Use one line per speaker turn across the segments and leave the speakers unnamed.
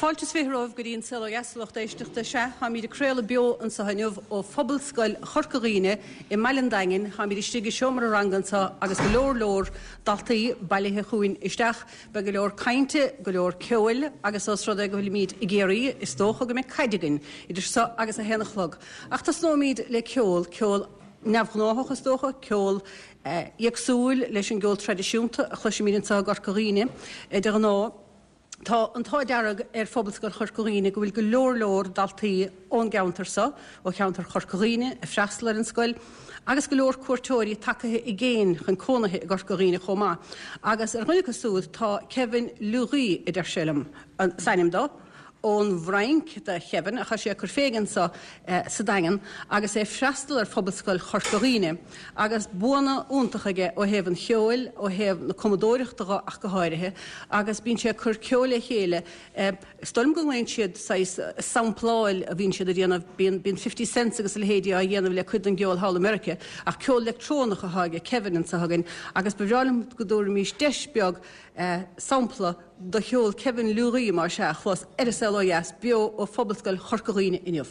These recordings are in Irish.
Fáilte is 20 romhaibh go dtí an Saol Ó Dheas, a lucht éisteachta. Sea, táimid ag craoladh beo anseo inniu ó Phobalscoil Chorca Dhuibhne i mBaile an Daingin. Táimid istigh i seomra ranga anseo agus go leor leor daltaí bailithe chugainn isteach. Beidh go leor cainte, go leor ceoil agus ós rud é go bhfuilimid i gCiarraí, is dócha go mbeidh caid againn idir seo agus a haon a chlog. Ach tosnóimid le ceol, ceol neamhghnáthach is dócha, ceol éagsúil leis an gceol traidisiúnta a chloisimid anseo i gCorca Dhuibhne de ghnáth. Tá an t-ádh dearg ar Phobalscoil Chorca Dhuibhne go bhfuil go leor leor daltaí ón gceantar seo, ó cheantar Chorca Dhuibhne, ag freastal ar an scoil agus go leor cuairteoirí tagaithe i gcéin chun cónaithe i gCorca Dhuibhne chomh maith. Agus ar dhuine acu súd tá Kevin Leguy a deir sé liom is ainm dó. Ón bhFrainc do Kevin, ach tá sé ag cur fé anseo sa Daingean agus é ag freastal ar Phobalscoil Chorca Dhuibhne agus buanna iontacha aige ó thaobh an cheoil, ó thaobh na cumadóireachta dho ach go háirithe, agus bíonn sé ag cur ceoil le chéile, is dóigh liom go nglaonn siad saghas sampláil a bhíonn siad a dhéanamh, bíonn bíonn Fifty Cents agus a leithéidí á dhéanamh le cuid den gceol thall i Meiriceá, ach ceol leictreonach atá aige Kevin anseo againn agus ba bhreá liom go dtabharfaimis deis beag sampla de cheol Kevin Leguy, más ea, a chlos ar An Saol Ó Dheas beo ó Phobalscoil Chorca Dhuibhne inniu.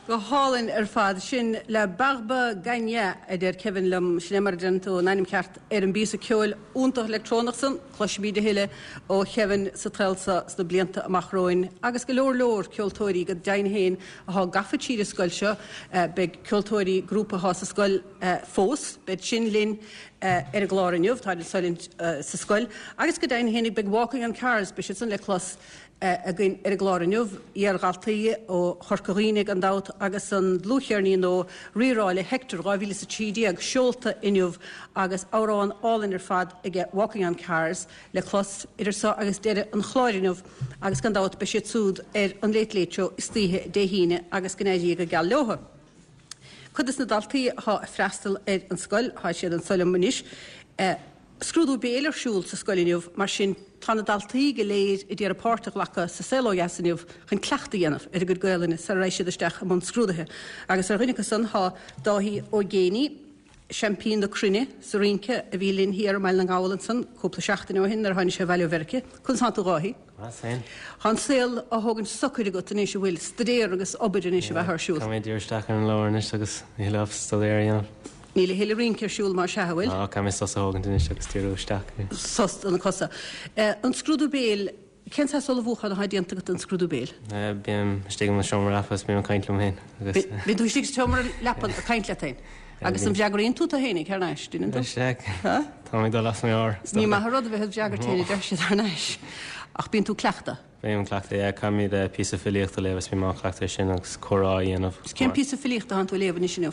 Go hálainn ar fad. Sin La Barbe Gagnat, a deir Kevin liom. Sin é mar a deireann tú an ainm ceart ar an bpíosa ceoil iontach leictreonach san. Cloisfimid a thuilleadh ó Kevin sa tsaol seo sna blianta amach romhainn. Agus go leor leor ceoltóirí, go deimhin féin, athá gafa tríd an scoil seo. Beidh ceoltóirí grúpa athá sa scoil fós, beid sin linn ar an gclár inniu, táid ansan sa scoil. Agus go deimhin féinig beidh Walking on Cars, beidh siad san le clos againn ar an gclár inniu, iar-dhaltaí ó Chorca Dhuibhne gan dabht agus an dlúthcheirnín nua Rí-Rá le Hector 2013 seolta inniu agus amhrán álainn ar fad aige Walking on Cars le clos idir seo agus deireadh an chláir inniu agus gan dabht beidh siad súd ar an Late Late Show istoíche Dé hAoine agus go n-éirí go geal leotha. Cuid des na daltaí athá ag freastal ar an scoil, thá siad anso liom anois. Scrúdú béil ar siúl sa scoil inniu, mar sin tá na daltaí go léir a d'iarraidh páirt a ghlacadh sa Saol Ó Dheas inniu chun cleachtadh a dhéanamh ar a gcuid Gaolainne sara raghaidh siad isteach i mbun scrúdaithe. Agus ar dhuine acu san tá Dáithí Ó Géibheannaigh, seaimpín na cruinne sa rince a bhí linn thiar i mBaile na nGall ansan cúpla seachtain ó shin nuair a tháinig sé abhaile ó Mheirice. Conas tánn tú a Dháithí?
Maith féin.
Tá an saol á thógaint socair agat anois, an bhfuil? Staidéar agus obair anois a bheith ar siúl.
Tá mé ag díriú isteach ar an leabhar anois agus a thuilleadh staidéar a dhéanamh.
Níl a thuilleadh rince ar siúl mar sea, an bhfuil?
Ná, caithfidh mé sos a thógaint anois agus díriú isteach
air. Sos do na cosa. An scrúdú béil, cén saghas ullmhúchán atá déanta agat don scrúdú béil?
Bím istigh i mo seomra leapa is bím ag caint liom féin
agus. Bíonn tú istigh sa seomra leapa ag caint leat féin? Agus an bhfreagraíonn tú tú fhéinig thar n-ais, deineann tú?
Sea. Tá mé ag dul as mo mheabhair.
Ní maith an rud a bheith id bhfreagairt féin a deir siad thar n-ais. Ach bíonn tú ag cleachtadh.
Bím ag cleachtadh, yeah. Caithfimid píosa filíochta a léamh is bím á cleachtadh ar sin agus comhrá a dhéanamh.
Cén píosa filíochta atánn tú a léamh anois inniu?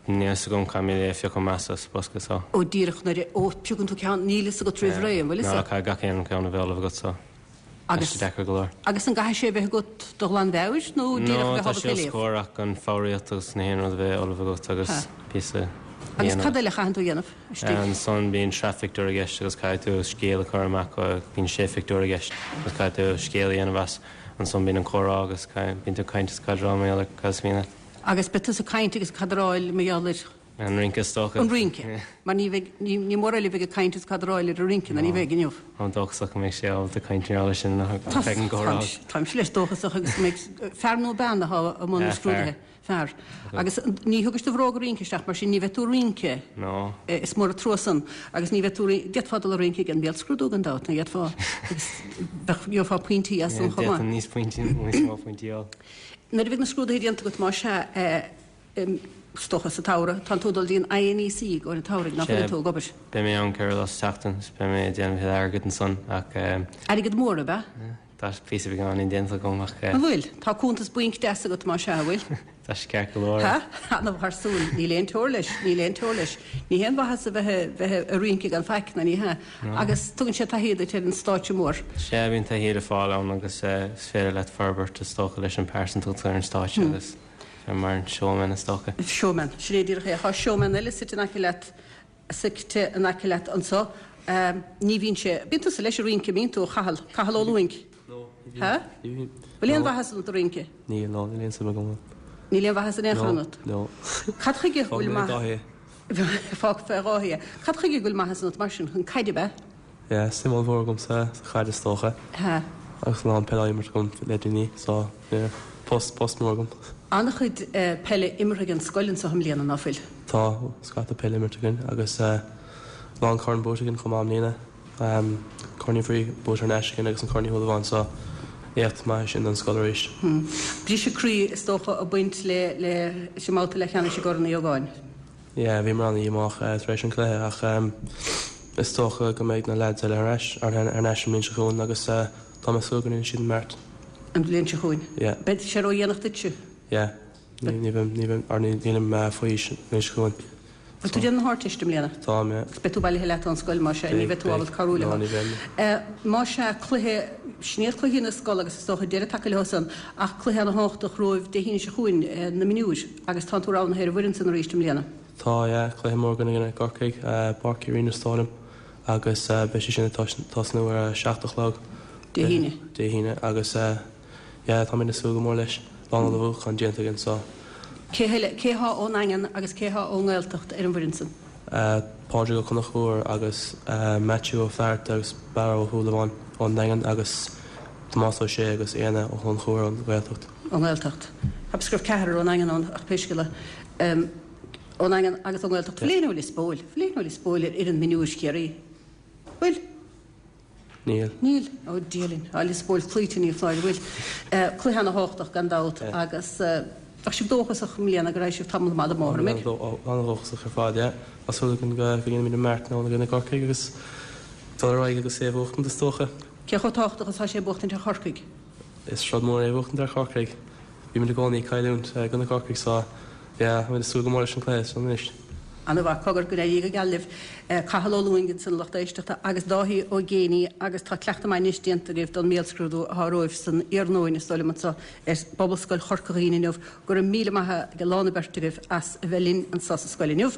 Níl fhios agam, caithfimid é a phiocadh amach as bosca so.
Ó díreach nuair a, ó piocann tú ceann, níl fhios agat roimh ré, an bhfuil fhios
agat? No, caithfidh gach aon ceann a bheith ullamh agat so.
Agus,
Tá sé deacair go leor.
agus an gcaithfidh sé a bheith agat de ghlanmheabhair nó díreach a
No,
bheith
tá
ábalta
sé
é
os
léamh?
comhair ach an foghraíocht agus na haon rud a bheith ullamh agat agus
Ha.
píosa a
Agus
dhéanamh.
cad eile a chaitheann tú a dhéanamh istigh?
Ansan bíonn sraith phictiúr i gceist agus caithfidh tú scéal a chur amach, bíonn sé phictiúr i gceist agus caithfidh tú scéal a dhéanamh as. Ansan bíonn an comhrá agus bíonn tú ag caint is cadráil mar gheall ar cad is mian leat.
Agus beidh tusa ag caint agus ag cadráil mar gheall ar.
An rince is dócha.
An rince. Mar ní bheidh, ní mór eile a bheidh ag caint is cadráil ar an rince ná ní bheidh inniu.
Táim dóchasach go mbeidh sé ábalta caint mar gheall air sin ach beidh an comhrá.
Táimse leis dóchasach agus go mbeidh fear nó bean atá i mbun na scrúduithe. Fear. Agus ní thugais do bhróga rince isteach mar sin ní bheidh tú ag rince.
No.
Is mór an trua san. Agus ní bheidh tú, d'fhéadfá dul ag rince ag an mbéalscrúdú gan dabht, ní fhéadfá? Agus bheadh, gheofá pointí as san chomh maith.
D'fhéadfainn níos pointí, níos mó pointí a fháil.
Nuair a bheidh na scrúduithe déanta agat más ea, Is dócha sa tsamhradh. Tánn tú ag dul dtí an INEC i gcomhair an tsamhraidh, nach bhfuileann tú ag obair?
Beidh mé ann 4 lá sa tseachtain is beidh mé ag déanamh a thuilleadh airgid ansan ach.
Airgead mór, ab
ea? Tá píosa beagáinín déanta agam ach.
An bhfuil? Tá cuntas bainc deas agat más ea, an bhfuil?
Tá sé ceart go leor.
Ha? Ana-mhaith thar súil. Níl aon teora leis, níl aon teora leis. Ní haon mhaitheas a bheith, bheith ag rince gan faic, ná ní hea. Agus tugann sé taithí duit ar an stáitse mór.
Sea, bíonn taithí le fáil ann agus is féidir leat forbairt is dócha leis an pearsantacht ar an stáitse agus. Mar an showman is dócha.
Showman. Sin é díreach é. Tá showman eile suite in aice leat, suite in aice leat anso. Ní bhíonn sé, bíonn tusa leis ag rince, mbíonn tú, a Chathail? Cathal Ó Lúing?
No, ní
bhíonn. Ha?
Ní bhíonn.
Bhfuil aon mhaitheas ionat ag rince?
Níl, no, níl aon suim agam ann.
Níl aon mhaitheas in aon chor ionat?
No,
no. Cad chuige a bhfuil maith.
Fág
fé Dháithí é. Fág fé Dháithí é. Cad chuige go bhfuil maitheas ionat mar sin? Chun caide, ab ea?
Yeah, suim ollmhór agam sa chaid is dócha.
Ha.
Agus a lán peile á imirt agam le déanaí so yeah, post, post mór agam.
An-chuid peile imeartha ag an scoil anseo i mbliana, ná fuil?
Tá, scata peile imeartha againn agus a lán corn buaite againn chomh maith i mbliana. Corn Uí Bhrí buaite thar n-ais againn agus an Corn Uí Shúilleabháin so éacht maith é sin don scoil arís.
Briseadh croí is dócha ag baint le, le, sa mbabhta leathcheannais i gCorn Uí Ógáin.
Yeah, bhíomar an-dhíomách tar éis an cluiche ach is dócha go mbeidh na leaids eile ar ais, thar n-ais an bhliain seo chugainn agus tá mé ag súil go ndéanfaidh siad an beart.
An bhliain seo chugainn?
Yeah.
Beidh sé ródhéanach duitse?
Yeah. Ní bheidh, ní bheidh, or nílim faoi aois an bhliain seo chugainn.
Bhfuil tú ag déanamh na hArdteiste i mbliana?
Táim, yeah.
Agus beidh tú bailithe leat ón scoil, más ea, ní bheidh tú ábalta cabhrú leo.
No, ní bheidh.
Más ea, cluiche, sin iad cluichí na scol agus is dócha deireadh tagtha leo san, ach cluiche ana-thábhachtach romhaibh Dé hAoine seo chugainn, na mionúir, agus tánn tú roghnaithe ar an bhfoireann san arís i mbliana.
Tá, yeah, cluiche mór againn i gcoinne Corcaigh, Páirc Uí Rinn is dóigh liom, agus beidh sé sin ag tosnú ar a 7 a chlog.
Dé hAoine.
Dé hAoine, agus yeah, táimid ag súil go mór leis. Lán ullmhúchán déanta againn so.
Cé heile, cé thá ón nDaingean agus cé thá ón nGaeltacht ar an bhfoireann san?
Pádraig Ó Conchúir agus Maitiú Ó Flatharta agus Barra Ó Súilleabháin ón nDaingean agus Tomás Ó Sé agus Éanna Ó hConchúir ón nGaeltacht.
Ón nGaeltacht. Cheapas go raibh ceathrar ón nDaingean ann ach pé scéal é. Ón nDaingean agus ón nGaeltacht. Bhfuil éinne ó Lios Póil? Bhfuil éinne ó Lios Póil ar fhoireann mionúir Chiarraí? Bhfuil?
Níl.
Níl? Ó Dia linn. Tá Lios Póil cloíte, ní foláir, an bhfuil? Cluiche ana-thábhachtach gan dabht agus bheadh sibh dóchasach i mbliana go raghaidh sibh tamall maith den mbóthar, an mbeidh?
An-dhóchasach ar fad, yeah. Tá súil againn go ndéanfaimid an mbeart ann i gcoinne Corcaigh agus dul ar aghaidh agus é a bhuachtaint is dócha.
Cé chomh tábhachtach is atá sé buachtaint ar Chorcaigh?
Is rud mór é buachtaint ar Chorcaigh. Bímid i gcónaí ag cailliúint i gcoinne Corcaigh so yeah, táimid ag súil go mór leis an cluiche seo anois.
Ana-mhaith, cogar, go n-éirí go geal libh. Cathal Ó Lúing ansin a lucht éisteachta agus Dáithí Ó Géibheannaigh agus tá cleachtadh maith anois déanta agaibh don mbéalscrúdú atá romhaibh san iarnóin is dóigh liom anseo ar bPobalscoil Chorca Dhuibhne inniu. Go raibh míle maith ag a lán an bheirt agaibh as a bheith linn anseo sa scoil inniu.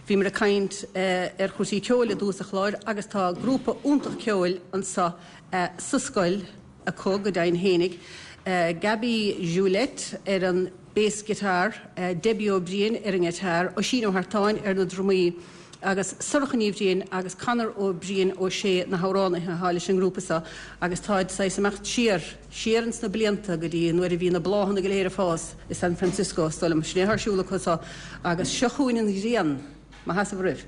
Bhíomar ag caint ar chúrsaí ceoil i dtús an chláir agus tá grúpa iontach ceoil anseo sa scoil acu go deimhin fhéinig. Gaby Juliette ar an bass guitar, Debbie Ó Briain ar an ngiotár, Oisín Ó hEartáin ar na drumaí agus Sorcha Ní Bhriain agus Conor Ó Briain Ó Sé na hamhránaithe atá leis an ngrúpa seo agus táid saghas imeacht siar, siar ins na blianta go dtí nuair a bhí na bláthanna go léir ag fás i San Francisco, is dóigh liom. Sin é atá ar siúl acu seo agus seo chugainn an ghrian! Mo sheasamh roimh.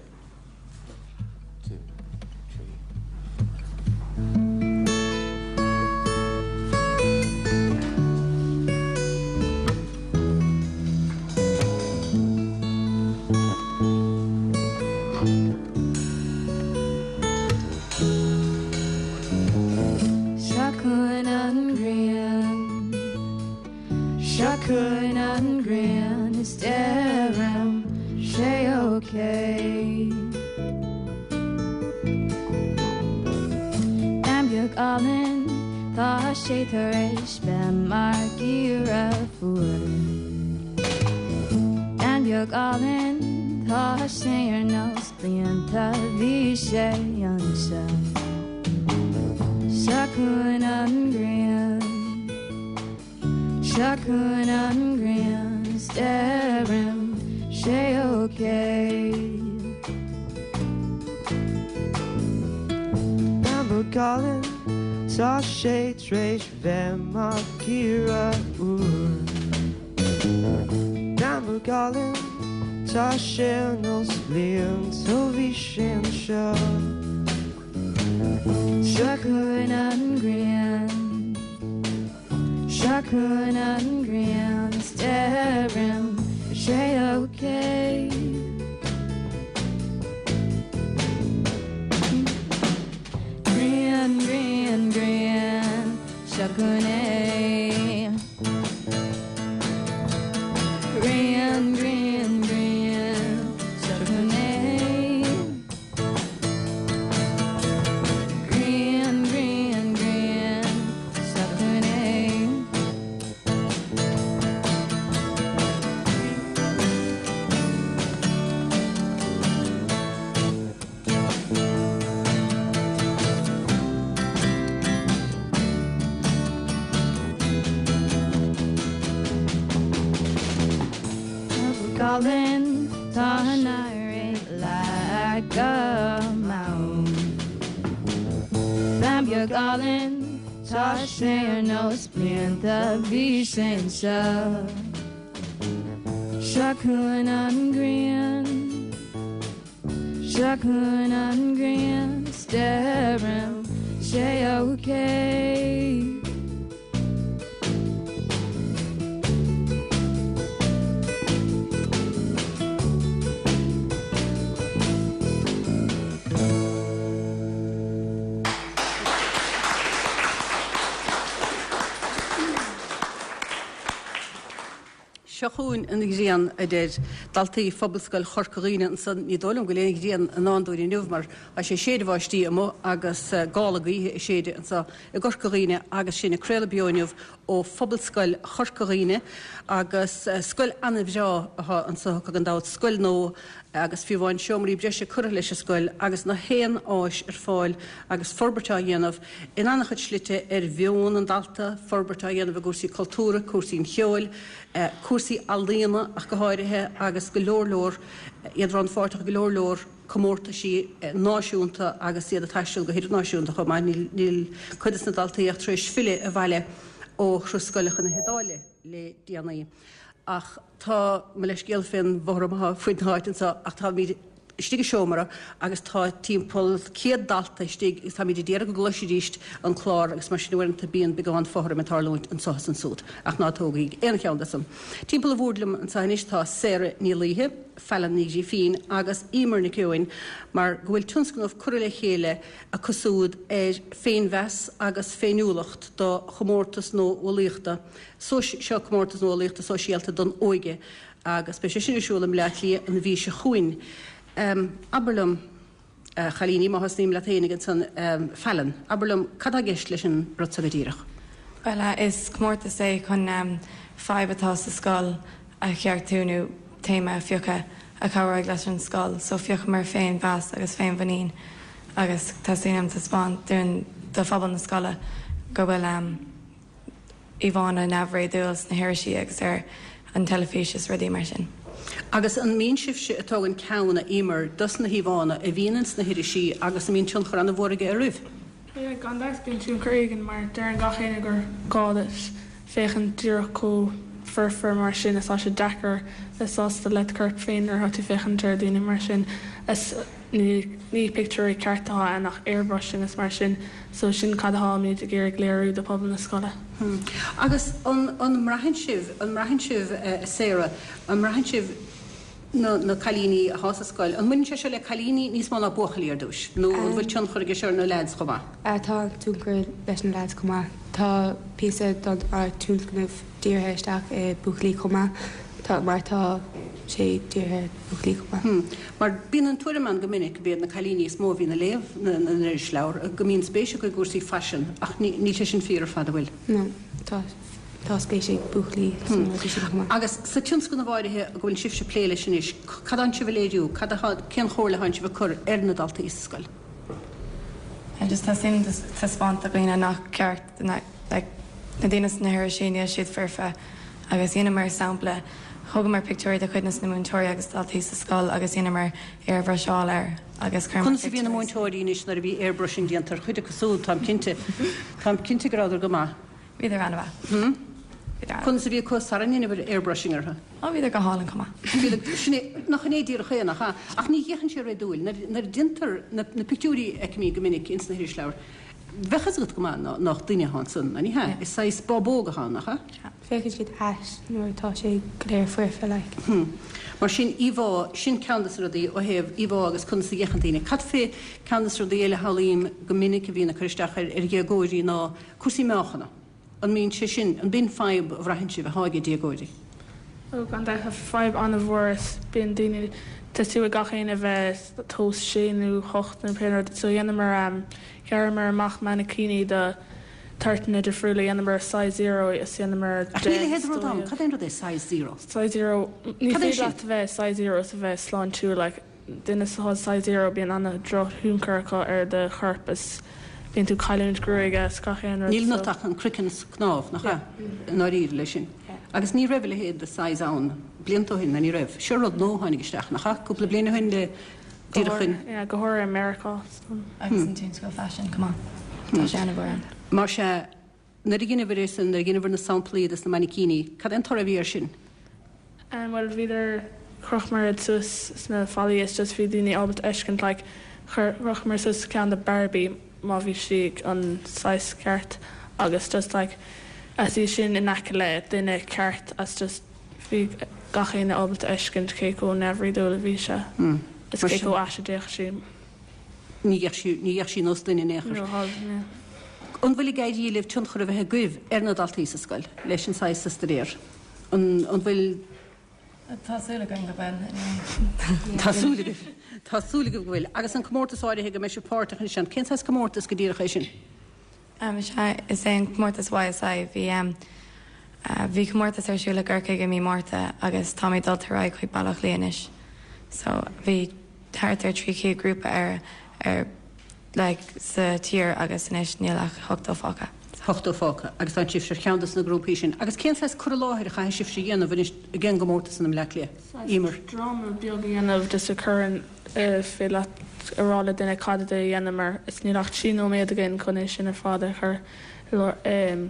beag álainn, tá sé tar éis bheith mar geimhreadh fuar. Bean bheag álainn, tá sé ar nós blianta bhí sé anseo. Seo chugainn an ghrian, seo chugainn an ghrian, is deirim sé okay.
Bean bheag álainn, tá sé tar éis bheith mar geimhreadh fhuar. Bean bheag álainn, tá sé ar nós blianta ó bhí sé anseo.
Seo chugainn an ghrian, seo chugainn an ghrian, is deirim sé okay. Grian, grian, grian, seo chugainn é. Grian, grian, grian, seo chugainn é. Grian, grian, grian, seo chugainn é. Álainn, tá an éirí le go mall. Bean bheag álainn, tá sé ar nós blianta bhí sé anseo. Seo chugainn an ghrian, seo chugainn an ghrian, is deirim sé okay.
Seo chugainn an ghrian, a deir daltaí Phobalscoil Chorca Dhuibhne ansan. Ní dóigh liom go bhfuil aon ghrian i ndán dúinn inniu mar tá sé ag séideadh báistí amuigh agus gála gaoithe ag séideadh anso i gCorca Dhuibhne agus sinn ag craoladh beo inniu ó Phobalscoil Chorca Dhuibhne agus scoil an-bhreá atá anso acu gan dabht, scoil nua agus fiú amháin seomraí breise curtha leis an scoil agus na haon áis ar fáil agus forbairt á dhéanamh in an-chuid slite ar mheon an dalta, forbairt á dhéanamh i gcúrsaí cultúrtha, cúrsaí an cheoil, cúrsaí ealaíona ach go háirithe agus go leor leor, iad rannpháirteach i go leor leor. comórtaisí náisiúnta agus iad ag taisteal go hidirnáisiúnta chomh maith. Níl cuid de na daltaí ach tar éis filleadh abhaile ó thuras scoile chun na hIodáile le déanaí. Ach tá, mo leithscéal fén bhfothram atá faoin áit anseo, ach táimid istigh i seomra agus tá timpeall 100 dalta istigh agus táimid ag iarraidh go gcloisfidís an clár agus mar sin uaireanta bíonn beagán fothraim ag tarlúint anseo is ansúd. Ach ná tógaigí aon cheann de san. Timpeall an bhoird liom anseo anois tá Sarah Ní Laoithe, Fallon Ní Ghrifín agus Emer Nic Eoin mar go bhfuil tionscnamh curtha le chéile acu siúd ar féinmheas agus féiniúlacht do chomórtas nuálaíochta seo comórtas nuálaíochta sóisialta don óige agus beidh sé sin ar siúl i mBleá Cliath an mhí seo chugainn. Abair liom. A chailíní, má thosnaím leat fhéinig ansan, Fallon, abair liom, cad tá i gceist leis an rud so go díreach?
Bhuel, is comórtas é chun fadhb atá sa scoil a cheartú nó téama a phiocadh a chabhróidh leis an scoil. So phiocamar féinmheas agus féinmhuinín agus teastaíonn uaim taispeáint dúinn do phobal na scoile go bhfuil íomhánna neamhréadúil sna hirisí agus ar an teilifís is rudaí mar sin.
Agus an mbíonn sibhse ag tógaint ceann, a Emer, dos na híomhánna a bhíonn ins na hirisí agus an mbíonn tionchar an-mhór aige oraibh?
Yeah, gan dabht bíonn tionchar éigin mar deireann gach éinne gur gá duit féachaint díreach chomh foirfe mar sin is tá sé deacair bheith sásta le do chorp féin nuair atá tú féachaint ar daoine mar sin. Is ní ní pictiúirí ceart atá ann ach airbrushing is mar sin so sin cad atáimid ag iarraidh léiriú do phobal na scoile.
Agus an an mbraitheann sibh, an mbraitheann sibh a Sarah, an mbraitheann sibh na na cailíní athá sa scoil, an mbaineann sé seo le cailíní níos mó ná buachaillí ar dtúis nó an bhfuil tionchar aige seo ar na leaids chomh maith?
Tá tionchar leis na leaids chomh maith. Tá píosa don ár tionscnamh dírithe isteach i buachaillí chomh maith. Tá, mar tá sé dírithe ar bhuachaillí chomh maith.
Mar bíonn an tuairim ann go minic go b'iad na cailíní is mó a bhíonn ag léamh na n-irisleabhar, go mbíonn spéis acu i gcúrsaí faisin, ach níl sé sin fíor ar fad, an bhfuil?
No, tá, tá spéis ag buachaillí sna rudaí sin chomh maith.
Agus sa tionscnamh áirithe go bhfuil sibhse ag plé leis anois, cad atánn sibh a léiriú, cad atá, cén chomhairle atánn sibh a cur ar na daltaí sa scoil?
Just teastaíonn taispeáint do dhaoine nach ceart like na daoine sna hirisí níl siad foirfe agus dheineamar sampla thógamar pictiúirí de chuid na múinteoirí agus daltaí sa scoil agus dheineamar airbhruiseáil air agus chuireamar
Conas a bhí na múinteoirí anois nuair a bhí airbrushing déanta ar chuid acu siúd, táim cinnte, táim cinnte go rabhadar go maith.
Bhíodar an-mhaith.
Bhíodar an-. Conas a bhí acu sara ndeineabhair airbrushing orthu?
Ó bhíodar go hálainn chomh maith.
Bhíodar, sin é, nach in é díreach é, nach ea? Ach ní fhéachann sé réadúil. Nuair, nuair a déantar na, na pictiúirí a fheicimid go minic ins na hirisleabhair, bheadh fhios agat go maith ná, nach duine atá ansan, ná ní hea? Is saghas bábóg atá ann, nach ea?
Féachann siad ait nuair atá sé go léir foirfe, like.
Hm. Mar sin, íomhá, sin ceann de na rudaí ó thaobh íomhá agus conas a fhéachann daoine. Cad fé ceann de na rudaí eile a shamhlaím go minic a bhíonn ag cur isteach ar, ar dhéagóirí ná Cúrsaí meáchana, an mbíonn sé sin, an b'in fadhb a bhraitheann sibh atá ag déagóirí?
Ó, gan dabht, tá fadhb an-mhór is bíonn daoine, tá súil ag gach éinne a bheith tomhas sé nó hocht nó pé rud so dhéanamar, ghearramar amach mainicíní do toirteanna difriúla, dhéanamar size zero is dhéanamar
Ach níl a leithéid de rud ann, cad é an rud é size zero?
Size zero, ní féidir leat a bheith size zero is a bheith sláintiúil like. Duine atá size zero bíonn ana drochthionchar acu ar do chorp is bíonn tú cailliúint gruaige is gach aon rud
Níl ionat ach an croiceann is cnámh, nach ea? I ndáiríre leis sin. Agus ní raibh a leithéid de size ann blianta ó shin, ná ní raibh. Seo rud nua a tháinig isteach, nach ea? Cúpla bliain ó shin le díreach
in. Yeah, go háirithe i Meiriceá.
Agus an tionscal faisin chomh maith. Tá sé ana mhór ann.
Mar sea, Nuair a dheineabhair é san, nuair a dheineabhair na samplaí dos na mainicíní, cad é an toradh a bhí air sin?
Bhuel bhíodar, chrochamar iad suas sna fallaí is just bhí daoine ábalta fheiscint like chuir, chrochamar suas ceann de Barbie má bhí sí an saghas ceart agus just like as í sin in aice le duine ceart as just bhí gach éinne ábalta fheiscint cé chomh neamhréadúil a bhí sé is cé chomh ait a d'fhéach sí.
Ní bheadh sí, ní bheadh sí nós duine in aon chor. An bhfuil ag éirí libh tionchar a bheith agaibh ar na daltaí sa scoil leis an saghas sa staidéar? An, an bhfuil.
Tá súil againn go bhfuil, anyway.
Tá súil agaibh, tá súil agaibh go bhfuil. Agus an comórtas áirithe go mbeidh sibh páirteach ansin, cén saghas comórtas go díreach é sin?
Is ea, is é an comórtas YSI. Bhí, bhí comórtas ar siúl i gCorcaigh i mí Márta agus táimid dulta ar aghaidh chuig Baile Átha Cliath anois. So, bhí thart ar 300 grúpa ar, ar, like, sa tír agus anois níl ach 80 fágtha.
80 fágtha agus tá sibhse ar cheann de na grúpaí sin. Agus cén saghas cur i láthair a chaithfidh sibhse a dhéanamh anois ag an gcomórtas in i mBleá Cliath?
Emer. Dráma beag a dhéanamh just a chuireann féidir leat a rá le duine cad é a dhéanamar is níl ach 3 nóiméad againn chun é sin ar fad a chur i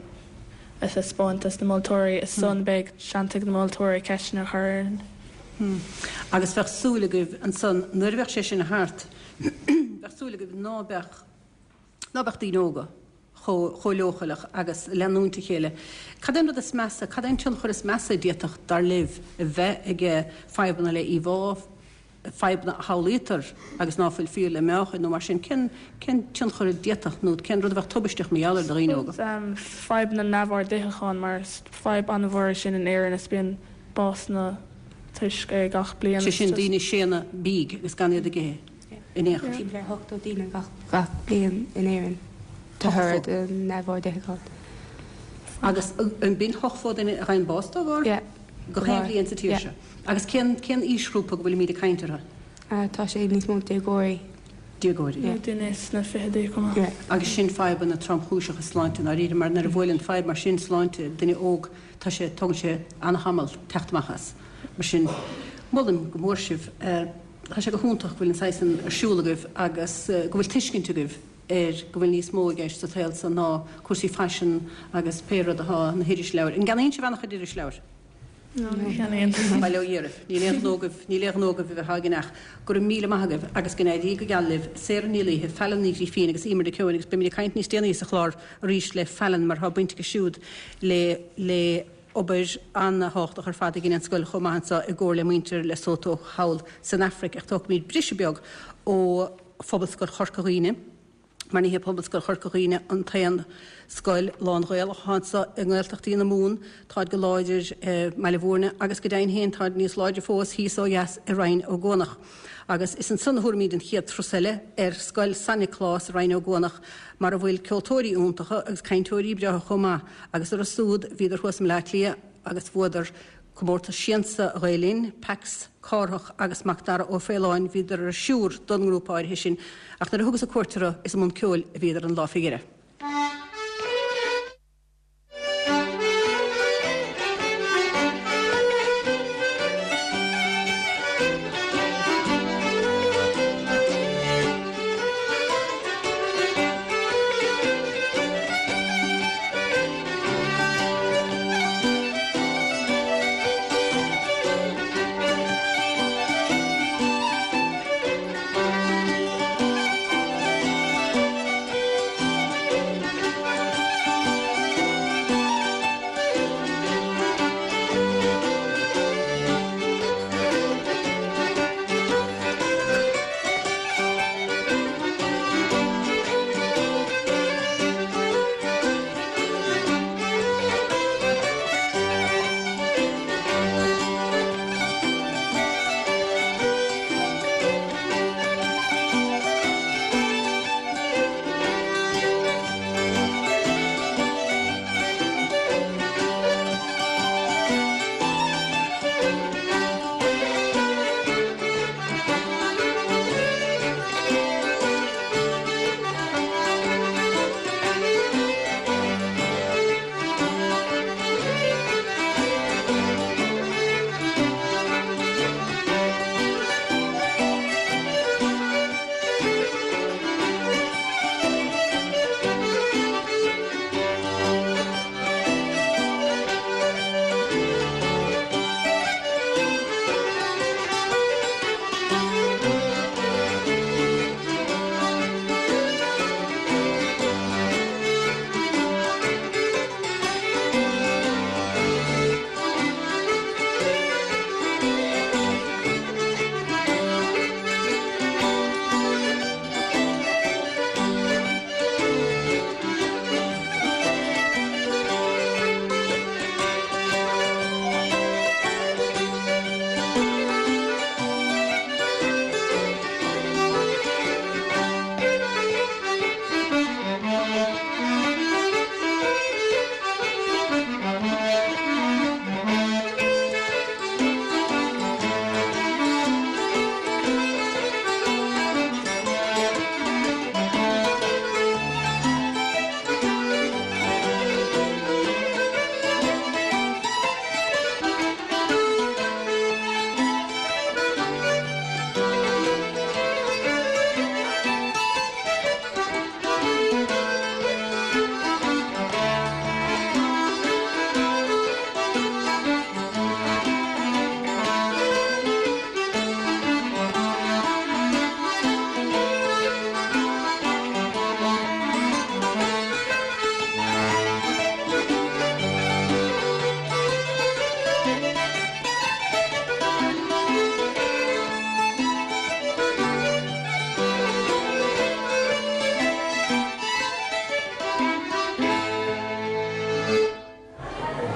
a thaispeáint dos na moltóirí is ansan beidh seans ag na moltóirí ceisteanna a chur orainn.
Agus bheadh súil agaibh ansan nuair a bheadh sé sin thart, bheadh súil agaibh ná beadh, ná beadh daoine óga chomh, chomh leochaileach agus leanúint a chéile. Cad é an rud is measa, cad é an tionchar is measa a d'fhéadfadh, dar libh, a bheith ag fadhbanna le íomhá, fadhbanna a shamhlaítear agus ná fuil fíor le meáchain nó mar sin, cén, cén tionchar a d'fhéadfadh nó cén rud a bheadh tubaisteach mar gheall air do dhaoine óga?
Fadhbanna neamhord itheacháin mar is fadhb an-mhór é sin in Éirinn is bíonn básanna toisc é gach bliain.
Sé sin daoine ag séanadh bídh agus gan iad ag ithe in aon chor.
Timpeall ar 80 daoine gach, gach bliain in Éirinn de thoradh de neamhord itheacháin.
Agus an b'in 80 duine a fhaigheann bás dá bharr?
Yeah.
Gach aon bhliain sa tír seo. Agus cén, cén aoisghrúpa go bhfuilimíd ag caint orthu?
Tá sé níos mó déagóirí.
Déagóirí.
Nó duine sna fichidí chomh maith.
Agus sin fadhbanna tromchúiseacha sláinte i ndáiríre, mar nuair a bhuaileann fadhb mar sin sláinte duine óg, tá sé, tógann sé an-tamall teacht amach as. Mar sin, molaim go mór sibh. Tá sé go hiontach go bhfuil an saghas san ar siúl agaibh agus go bhfuil tuiscint agaibh ar go bhfuil níos mó i gceist sa tsaol so ná cúrsaí faisin agus pé rud atá na hirisleabhair. An gceannaíonn sibh an-chuid irisleabhair?
No, ní cheannaíonn.
Bail ó Dhia oraibh. Níl aon ghnó agaibh, níl aon ghnó agaibh a bheith á gceannach. Go raibh míle maith agaibh agus go n-éirí go geal libh. Sarah Ní Laoithe, Fallon Ní Ghrifín agus Emer Nic Eoin agus beimid ag caint níos déanaí sa chlár arís le Fallon mar tá baint aici siúd le le obair an-thábhachtach ar fad a dhein an scoil chomh maith anso i gcomhar le muintir Lesotho thall san Afraic ach tógfaimid briseadh beag ó Phobalscoil Chorca Dhuibhne. Mar ní hé Pobalscoil Chorca Dhuibhne an t-aon scoil lán-Ghaelach atá anseo i nGaeltachtaí na Mumhan, táid go láidir i mBaile Bhúirne agus go deimhin féin táid níos láidre fós thíos ó dheas i Rinn Ó gCuanach. Agus is ansan a thabharfaimid an chéad turas eile, ar Scoil San Nioclás i Rinn Ó gCuanach mar a bhfuil ceoltóirí iontacha agus cainteoirí breátha chomh maith agus an turas úd bhíodar thuas i mBleá Cliath agus bhuadar Comórtas Siansa Ghael Linn, Pax, Cárthach agus Macdara Ó Faoláin, bhíodar ar shiúr don ngrúpa áirithe sin, ach nuair a thugas-sa cuairt orthu, is i mbun ceoil a bhíodar an lá fé dheireadh.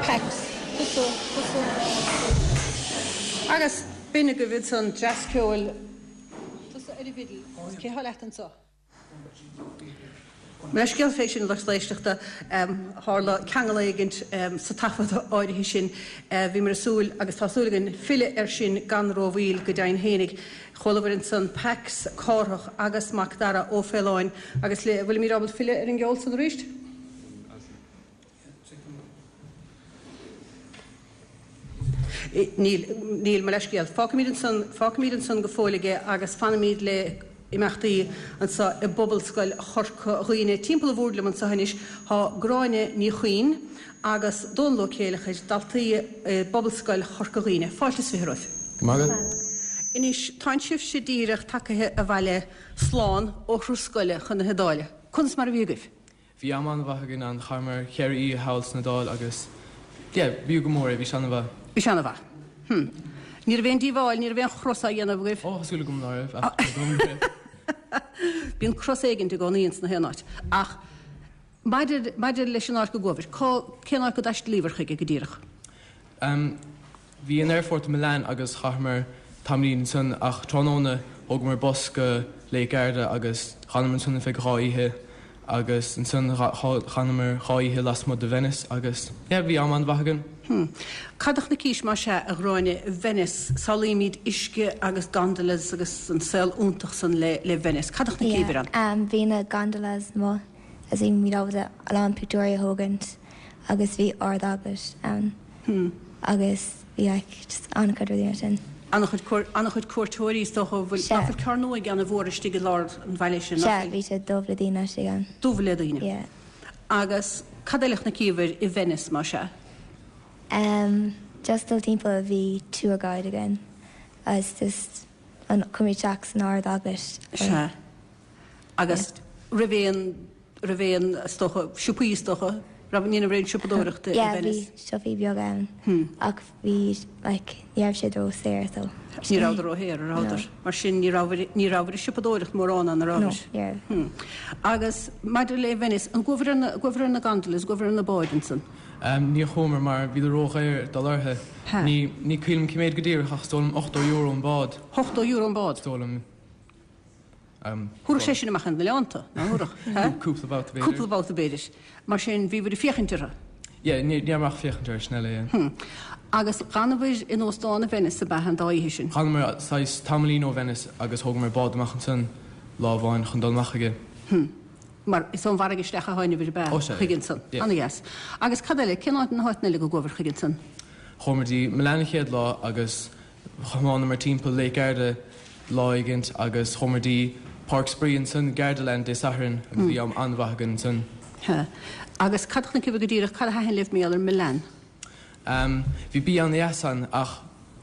Pax, tusa, tusa, Agus b'in agaibh ansan dreas ceoil. Tusa ar an bhfidil, agus cé thá leat anso? Mo leithscéal fé sin, lucht éisteachta, tharla ceangal éigint sa taifead áirithe sin. Bhíomar ag súil, agus tá súil againn, filleadh air sin gan rómhoill, go deimhin fhéinig. Chualabhair ansan Pax, Cárthach agus Mac Dara Ó Faoláin agus le, bhfuilimid ábalta filleadh ar an gceol san arís? Níl, níl, mo leithscéal. Fágfaimid ansan, fágfaimid ansan go fóill aige agus fanfaimid le imeachtaí anseo i bPobalscoil Chorca Dhuibhne. Timpeall an bhoird liom anseo anois tá Gráinne Ní Chuinn agus Dónal Ó Céileachair, daltaí i bPobalscoil Chorca Dhuibhne. Fáilte is 20 romhaibh.
Go maith agat.
Anois, tánn sibhse díreach tagaithe abhaile slán ó thuras scoile chun na hIodáile. Conas mar a bhí agaibh?
Bhí am an-mhaith againn ann, chaitheamar cheithre oíche thall san Iodáil agus yeah, b'fhiú go mór é, bhí sé an-mhaith.
Bhí sé an-mhaith. Hm. Ní raibh aon díobháil, ní raibh aon chros á dhéanamh agaibh?
Ó, tá súil agam ná raibh, ach ní dóigh liom go raibh.
Bíonn cros éigint i gcónaí ins na haon áit. Ach maidir, maidir leis an áit go gcuabhair, cá, cén áit go dtaistealaíobhair chuige go díreach?
Em, bhí an aerfort i Milan agus chaitheamar tamaillín ansan ach tráthnóna thógamar bus go Lake Garda agus dh'fhanamar ansan ar feadh 2 oíche agus ansan dh'fhanamar 2 oíche lasmuigh de Venice agus yeah bhí am an-mhaith againn.
Hmm. Cad a chonaicis más ea, a Ghráinne, i Venice? Samhlaímid uisce agus gondolas agus an saol iontach san le le Venice. Cad a chonaiceabhair ann?
Yeah, um, bhí na gondolas amuigh agus bhí muid ábalta a lán pictiúirí a thógaint agus bhí Ard-Eaglais ann
Hmm.
agus bhí like just an-chuid rudaí mar sin.
An-chuid cuair, an-chuid cuairteoirí is dócha, bhfuil,
Sea.
nach bhfuil carr nua ag déanamh uair istigh i lár an bhaile sin, nach
Sea,
bhfuil?
bhí sé dubh le daoine istigh ann.
Dubh le daoine.
Yeah.
Agus cad eile a chonaiceabhair i Venice, más ea?
Em, just dul timpeall, bhí tour guide againn agus just an, chuaigh muid isteach san Ard-Eaglais.
Sea. Agus raibh aon, raibh aon, is dócha, siopaí is dócha, raibh, ní raibh aon siopadóireacht i
Yeah,
Venice?
bhí siopaí beaga ann ach bhí, like, ní raibh siad ró-saor so.
Ní rabhadar róshaor, a rabhadar?
No.
Mar sin ní rabhair, ní rabhair ag siopadóireacht mórán ann, a
No,
rabhair?
ní raibh.
Agus maidir le Venice, an gcuabhair ar na, gcuabhair ar na gondolas, gcuabhair ar na báid ansan?
Níor chuamar mar bhíodar ródhaor dul orthu. Ní, ní cuimhin liom cé méid go díreach ach is dóigh liom €80 an bád.
€80 an bád?
Is dóigh liom.
Thabharfadh sé sin amach ar na oileánta, ná thabharfadh?
Cúpla babhta b'fhéidir.
Cúpla babhta b'fhéidir. Mar sin, bhíobhair ag féachaint orthu.
Yeah, ní raibh ach féachaint orthu, sin eile, yeah.
Agus dh'fhanabhair in óstán i Venice ab ea an dá oíche sin?
Dh'fhanamar saghas tamaillín ó Venice agus thógamar bád amach ansan lá amháin chun dul amach chuige.
Mar is ón bhfarraige isteach a tháinabhair ab ea
Ó sea,
chuige
yeah.
ansan.
Yeah.
Ana-dheas. Agus cad eile, cén áit na háiteanna eile go gcuabhair chuige ansan?
Chuamar dtí Milan an chéad lá agus Thiomáineamar timpeall Lake Garda lá éigint agus chuamar dtí Páirc Spraoi ansan, Gardaland, Dé Sathairn agus bhí am an-mhaith againn ansan.
Sea. Agus cad a chonaiceabhair go díreach, cad a thaitin libh mar gheall ar Milan?
Ehm, bhí bia an-dheas ann ach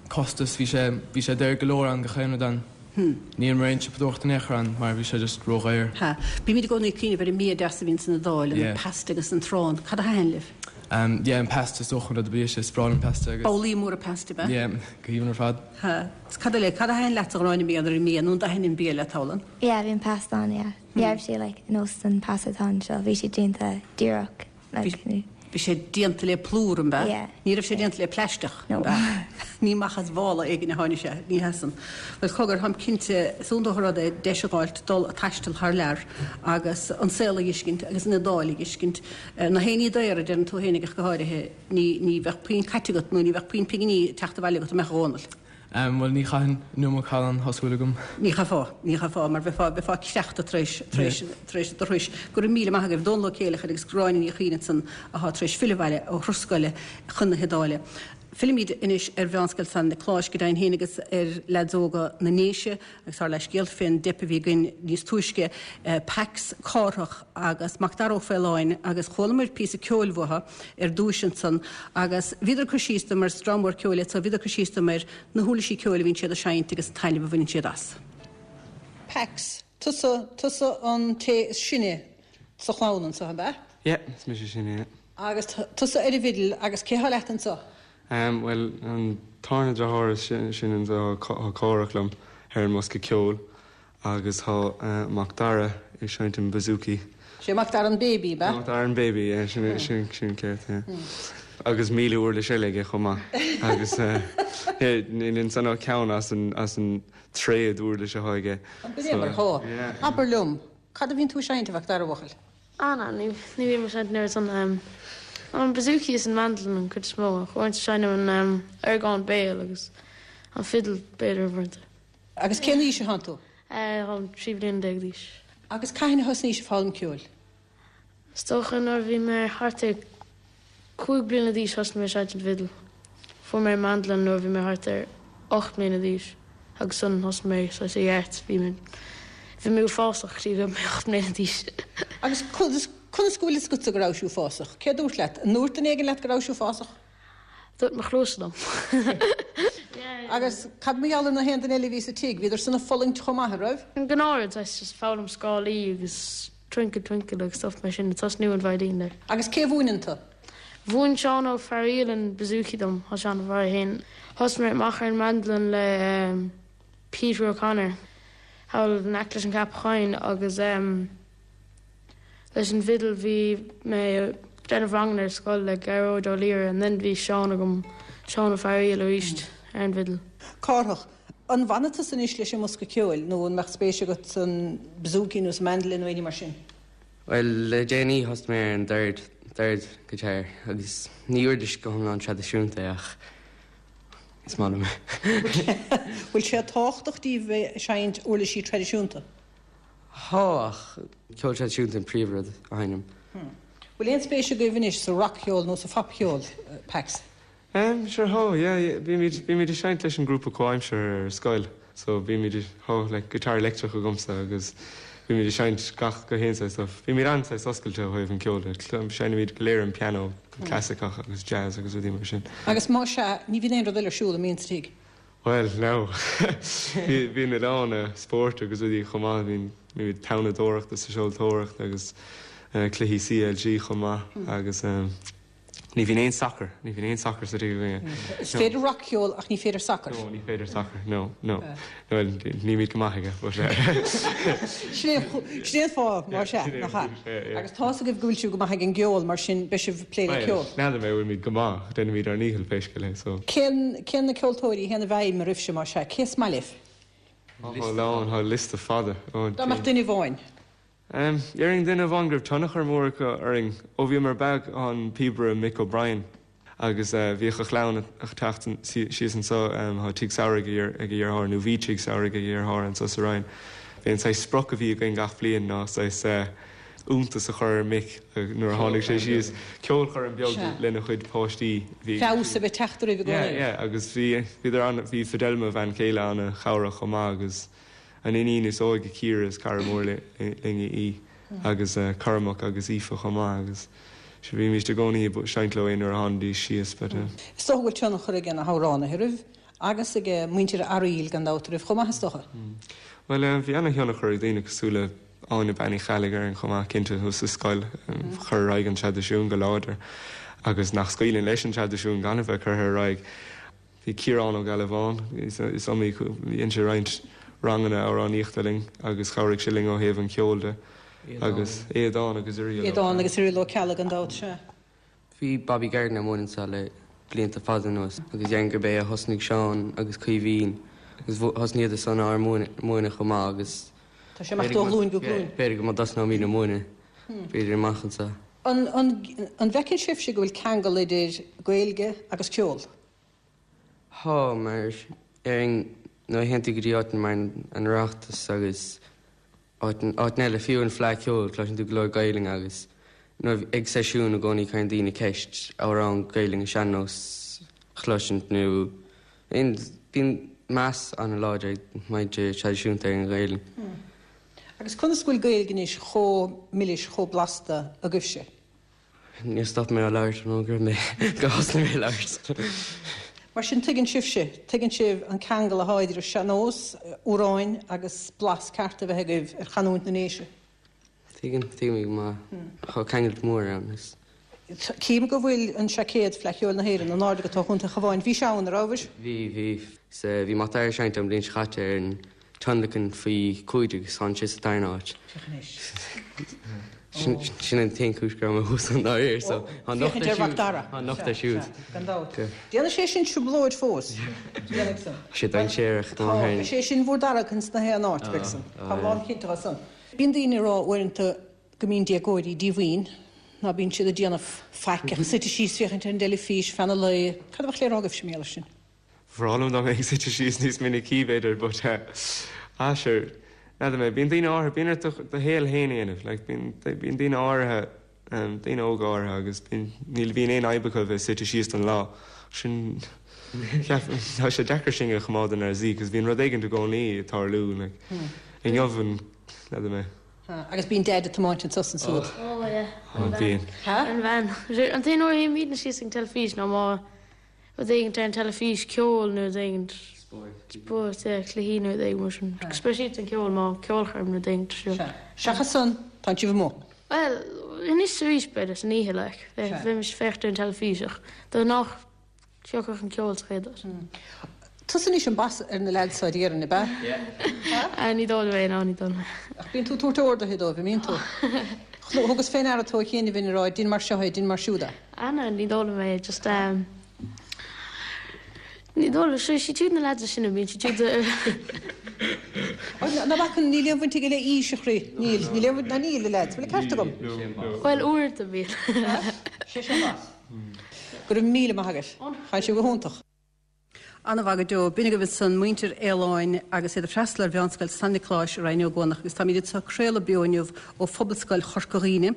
costas, bhí sé, bhí sé daor go leor ann gach aon rud ann. Ní dhearnamar aon siopadóireacht in aon chor ann mar bhí sé just ródhaor.
Sea. Bímid i gcónaí ag cuimhneamh ar an mbia deas a bhíonn san Iodáil, an
Yeah.
pasta agus an t-arán. Cad a thaitin libh?
Ehm, yeah, an pasta is dócha an rud a ba dheise, is breá liom pasta agus.
Babhlaí móra pasta, ab ea?
Yeah, go haoibhinn ar fad.
Sea. Is cad eile, cad a thaitin leat a Ghráinne mar gheall ar an mbia, nó an dtaithin an bia leat thall ann?
Yeah, bhí an pasta an-dheas. Ní raibh sé like nós an pasta atá anseo, bhí sé déanta díreach like
Bhí bhí sé déanta le plúr, an b'ea?
Yeah.
Ní raibh sé déanta le plaisteach,
No.
an b'ea? Ní amach as mhála éigin a tháinig sé, ní hea san. Bhuel, cogar, táim cinnte, is iontach an rud é deis a dh'fháilt dul a' taisteal thar lear agus an saol a dh'fheiscint agus an Iodáil a dh'fheiscint. Na héinní daora, a deireann tú fhéinig ach go háirithe, ní, ní bheadh puinn caite agat nó ní bheadh puinn pinginí ag teacht abhaile agat, an mbeadh, a Dhónaill?
Em, bhuel, ní chaithfinn nó mo challán, tá súil agam.
Ní chaithfeá, ní chaithfeá, mar bheifeá, bheifeá creachta tar éis, tar éis, tar éis an turais. Go raibh míle maith agaibh, Dónal Ó Céileachair agus Gráinne Ní Chuinn ansan athá tar éis filleadh abhaile ó thuras scoile chun na hIodáile. Fillimid anois ar Mheánscoil San Niocláis go deimhin féin agus ar leaids óga na nDéise agus ár leithscéal fén dteip a bhí againn níos túisce, Pax Cárthach agus Macdara Ó Faoláin agus chualamar píosa ceoil uathu ar dtúis ansan agus bhíodar ag cur síos dom mar is dream mór ceoil iad so bhíodar ag cur síos dom ar na huirlisí ceoil a bhíonn siad a seinnt agus an taitneamh a bhaineann siad as. Pax, tusa, tusa an té is sine sa chlann anso, ab ea?
Yeah, is mise is sine, yeah.
Agus tusa ar an bhfidil, agus cé thá leat anso?
Bhuel, an tarna deartháir is sine anso, tá Cárthach liom ar an mbosca ceoil agus tá Macdara ag seinnt an bouzouki.
Sé Macdara an baby, ab ea?
Macdara an baby, yeah, sin, sin, sin ceart, yeah. Agus 1,000 uirlis eile aige chomh maith. Agus, yeah, níl ansan ach ceann as an, as an tréad uirlis atá aige.
B'in é mar atá. Abair liom, cad a bhíonn tú ag seinnt, a Mhacdara, bhuachaill?
Ah ná, ní bhím ag seinnt an oiread san. An bouzouki is an mandolin an cuid is mó, ach uaireanta seinnim an orgán béil agus an fidil b'fhéidir uaireanta.
Agus cén aois atánn tú?
Táim 13 bliana d'aois.
Agus cathain a thosnaís ag foghlaim ceoil?
Is dócha nuair a bhí mé thart ar 5 bliana d'aois thosnaigh mé ag seinnt an bhfidil. Fuair mé mandolin nuair a bhí mé thart ar 8 mbliana d'aois agus ansan thosnaigh mé saghas i gceart. Bhí mé bhí mé uafásach go dtí go raibh mé 8 mbliana d'aois.
Agus conas conas go bhfuil fhios agatsa go rabhais uafásach? Cé a dúirt leat? An ndúirt duine éigin leat go rabhais uafásach?
Dúirt mo chluasa liom.
Agus cad mar gheall ar na haon duine eile a bhí sa tigh? Bhíodar san ag fulaingt chomh maith, an raibh?
An gnáthrud, saghas just foghlaim scálaí agus Twinkle Twinkle agus stuff mar sin, ag tosnú an veidhlín like.
Agus cé a mhúineann tú?
Mhúin Seán Ó Fearaíl an bouzouki dom, tá sé an-mhaith é féin. Thosaigh mé amach ar an mandolin le Peter O'Connor. Thall in aice leis an gceapachán agus leis an bhfidil bhí mé ag déanamh ranganna ar scoil le Gearóid Ó Laoire and then bhí Seán agam, Seán Ó Fearaíl arís ar an bhfidil.
Cárthach, An bhfanfaidh tusa anois leis an mbosca ceoil nó an mbeadh spéis agat san bouzouki nó sa mandolin nó éinní mar sin?
Bhuel, le déanaí thosaigh mé ar an dord, dord guitar, agus ní uirlis go hiomlán traidisiúnta é ach is maith liom é.
Bhfuil sé tábhachtach daoibh bheith ag seinnt uirlisí traidisiúnta?
Tá, ach ceol traidisiúnta an príomhrud a sheinnim.
Bhfuil aon spéis agaibh anois sa rac-cheol nó sa phopcheol, Pax?
Em, sure thá, yeah, yeah, bímid, bímid ag seinnt leis an grúpa comhaimseartha ar scoil, so bímid, thá, like, guitar leictreach agamsa agus bímid ag seinnt gach, gach aon saghas stuff. Bímid an-saghas oscailte ó thaobh an ceoil de, seinnimid go léir an pianó, clasaiceach agus jazz agus rudaí mar sin.
Agus más ea, ní bhíonn aon rud eile ar siúl an mbíonn sa tigh?
Bhuel, no. Bíonn a lán spóirt agus rudaí chomh maith, bíonn, bímid tonnadóireacht agus seoltóireacht agus cluichí CLG chomh maith agus eh, Ní bhíonn aon sacar, ní bhíonn aon sacar sa tigh againne.
Is féidir rac-cheol ach ní féidir sacar.
No, ní féidir sacar, no, no. Bhuel, nílimid go maith aige, but eh.
Sin é an fáth, más ea, nach ea? Agus tá's agaibh go bhfuil sibh go maith ag an gceol, mar sin beidh sibh ag plé le ceol.
Bhuel, n'fheadar mé an bhfuilimid go maith, déanaimid ár ndícheall pé scéal é, so.
Cén, cén na ceoltóirí a théann i bhfeidhm oraibhse, más ea? Cé is maith libh?
Tá a lán, tá liosta fada.
Dá mbeadh duine amháin.
Déarfainn duine amháin go raibh tionchar mór acu orainn ó bhíomar beag an píobaire Mick O'Brien agus bhíodh a chlann ag teacht síos anseo, tá tigh samhraidh ag a dheartháir nó bhí tigh samhraidh ag a dheartháir anseo sa Rinn. Bhí an saghas sprioc a bhí againn gach bliain ná saghas iontas a chur ar Mick nuair a tháinig sé síos, ceolchoirm beag lena chuid páistí.
Feabhas a bheith teacht oraibh i
gcónaí. Yeah, yeah agus bhí, bhíodar an, bhí Fidelma, a bhean chéile, an-chabhrach chomh maith agus. An iníon is óige Ciara is cara mór linn í agus Cormac agus Aoife chomh maith agus sure bhímíst i gcónaí ag seinnt leo aon uair a tháinidís síos but.
Is dócha go bhfuil tionchar ag na hamhránaithe oraibh agus ag muintir Fhearaíl gan dabht oraibh chomh maith is dócha.
Bhuel bhí ana-thionchar ag daoine cosúil le Áine Bean Uí Cheallaigh orainn chomh maith cinnte thuas sa scoil chur ar aghaidh an traidisiún go láidir agus nach scaoileann leis an traidisiún gan a bheith curtha ar aghaidh. Bhí Ciarán Ó Gealbháin, is iomaí, dhein sé roinnt ranganna amhránaíochta linn agus chabhraigh sé linn ó thaobh an cheoil de agus Aodán agus
Irial Ó Aodán agus Irial Ó Ceallaigh gan dabht, sea.
Bhí Bobby Gardiner ag múineadh anseo le blianta fada anuas agus déarfainn gurb é a thosnaigh Seán agus Caoimhín agus thosnaíodar san ár múineadh chomh maith agus
Tá sé ag imeacht ó ghlúin go glúin.
B'fhéidir go mba dtosnóimid ag múineadh b'fhéidir amach anseo.
An bhfeiceann sibhse go bhfuil ceangal idir Gaeilge agus ceol?
Tá, mar déarfainn nuair a théann tú go dtí áiteanna mar an Oireachtas agus áiteanna eile, fiú an Fleadh Ceoil, cloiseann tú go leor Gaelainne agus nuair ag seisiún i gcónaí cuireann daoine ceist amhrán Gaelainne sean-nós a chloisint nó aon bíonn meas an-láidir ag muintir traidisiúnta ar an Ghaelainn.
Agus conas go bhfuil Gaeilge anois chomh milis, chomh blasta agaibhse?
Níor stop mé á labhairt ó go raibh mé, go thosnaigh mé ag labhairt.
Mar sin tuigeann sibhse, tuigeann sibh an ceangal athá idir an sean-nós, amhráin agus blas ceart a bheith agaibh ar chanúint na nDéise.
Tuigim, tuigim go maith. Tá ceangal mór ann. Is.
Cím go bhfuil an seaicéad Fleadh Cheoil na hÉireann in airde agat ó Chontae an Chabháin. Bhís ann, a rabhais?
Bhí, bhí. 'S bhí Mac Dara ag seinnt an bhliain seo chaite ar an tionlacan faoi 15 agus tháinig sé sa darna háit.
Féach anois.
Sin an t-aon chúis go raibh mé thuas ann dáiríre so tá an locht
Féachaint ar Mhac Dara.
Tá an locht air siúd.
Gan dabht. Déanfaidh sé sin trioblóid fós. Déanfaidh
san. Tá sé dainséarach go maith.
Tá. Is é sin bhur dtarrac ins na haon áit, beidh san. Táim lánchinnte de san. Bíonn daoine ag rá uaireanta go mbíonn déagóirí díomhaoin, ná bíonn siad ag déanamh faic ach suite síos féachaint ar an dteilifís feadh an lae. Cad a bheadh le rá agaibhse mar gheall air sin?
Bhreá liom dá mbeinn ag suite síos níos minicí b'fhéidir but eh ah sure n'fheadar mé bíonn daoine áirithe bíonn ort do do shaol féin a dhéanamh like bíonn bíonn daoine áirithe em daoine óga áirithe agus bíonn níl bhíonn aon fhadhb acu a bheith suite síos don lá sin cheap tá sé deacair sinn a choimeád inár suí cos bíonn rud éigint i gcónaí ag tarlú like inniu an n'fheadar mé.
Agus bíonn Deaid ag tiomáint anso is ansúd.
Ó yeah.
Ó bíonn.
An veain. An t-aon uair a théimidne síos ag an teilifís ná má rud éigint ar an teilifís, ceol nó rud éigint.
Spóirt.
Spóirt, yeah, cluichí nó rud éigin mar sin. Speisialta an ceol, má ceolchoirm nó rud éigint ar siúl.
Sea. Seachas san, tánn sibh amuigh.
Bhuel, anois is arís b'fhéidir, san oíche like. Bheimis ag féachaint ar an teilifís ach de ghnáth thiocfadh an ceol sa chéad áit.
Tusa anois an boss ar na leaids seo déarfainn, ab
ea? Ní dóigh liom é, no, ní dóigh liom é.
Ach bíonn tú ag tabhairt orduithe dóibh, an mbíonn tú? Thugas fé ndeara tú a chianaibh ag rá dein mar seo é, dein mar siúd
é. Ah no, ní dóigh liom é, just ehm ní dóigh liom, sure, siad siúd na leaids is sine, bíonn siad siúd
Ná bac, níl aon bhaint aige le aois, a chroí, níl, níl aon bhaint, ná níl, a leaids, bhfuil an ceart agam?
Bhuel, uaireanta bíonn.
Sé sin boss. Go raibh míle maith agat. Chaith sé go hiontach. An-mhaith go deo. B'in agaibh ansan muintir Fhaoláin agus iad ag freastal ar Mheánscoil San Niocláis i Rinn Ó gCuanach agus táimid anseo ag craoladh beo inniu ó Phobalscoil Chorca Dhuibhne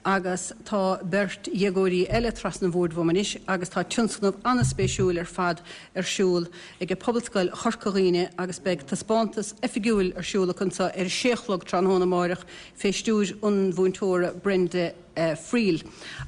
agus tá beirt dhéagóirí eile trasna an bhoird uaim anois agus tá tionscnamh an-spéisiúil ar fad ar siúl ag Pobalscoil Chorca Dhuibhne agus beidh taispeántas oifigiúil ar siúl acu anseo ar a sé a chlog tráthnóna amáireach fé stiúir an mhúinteora Brenda Friel.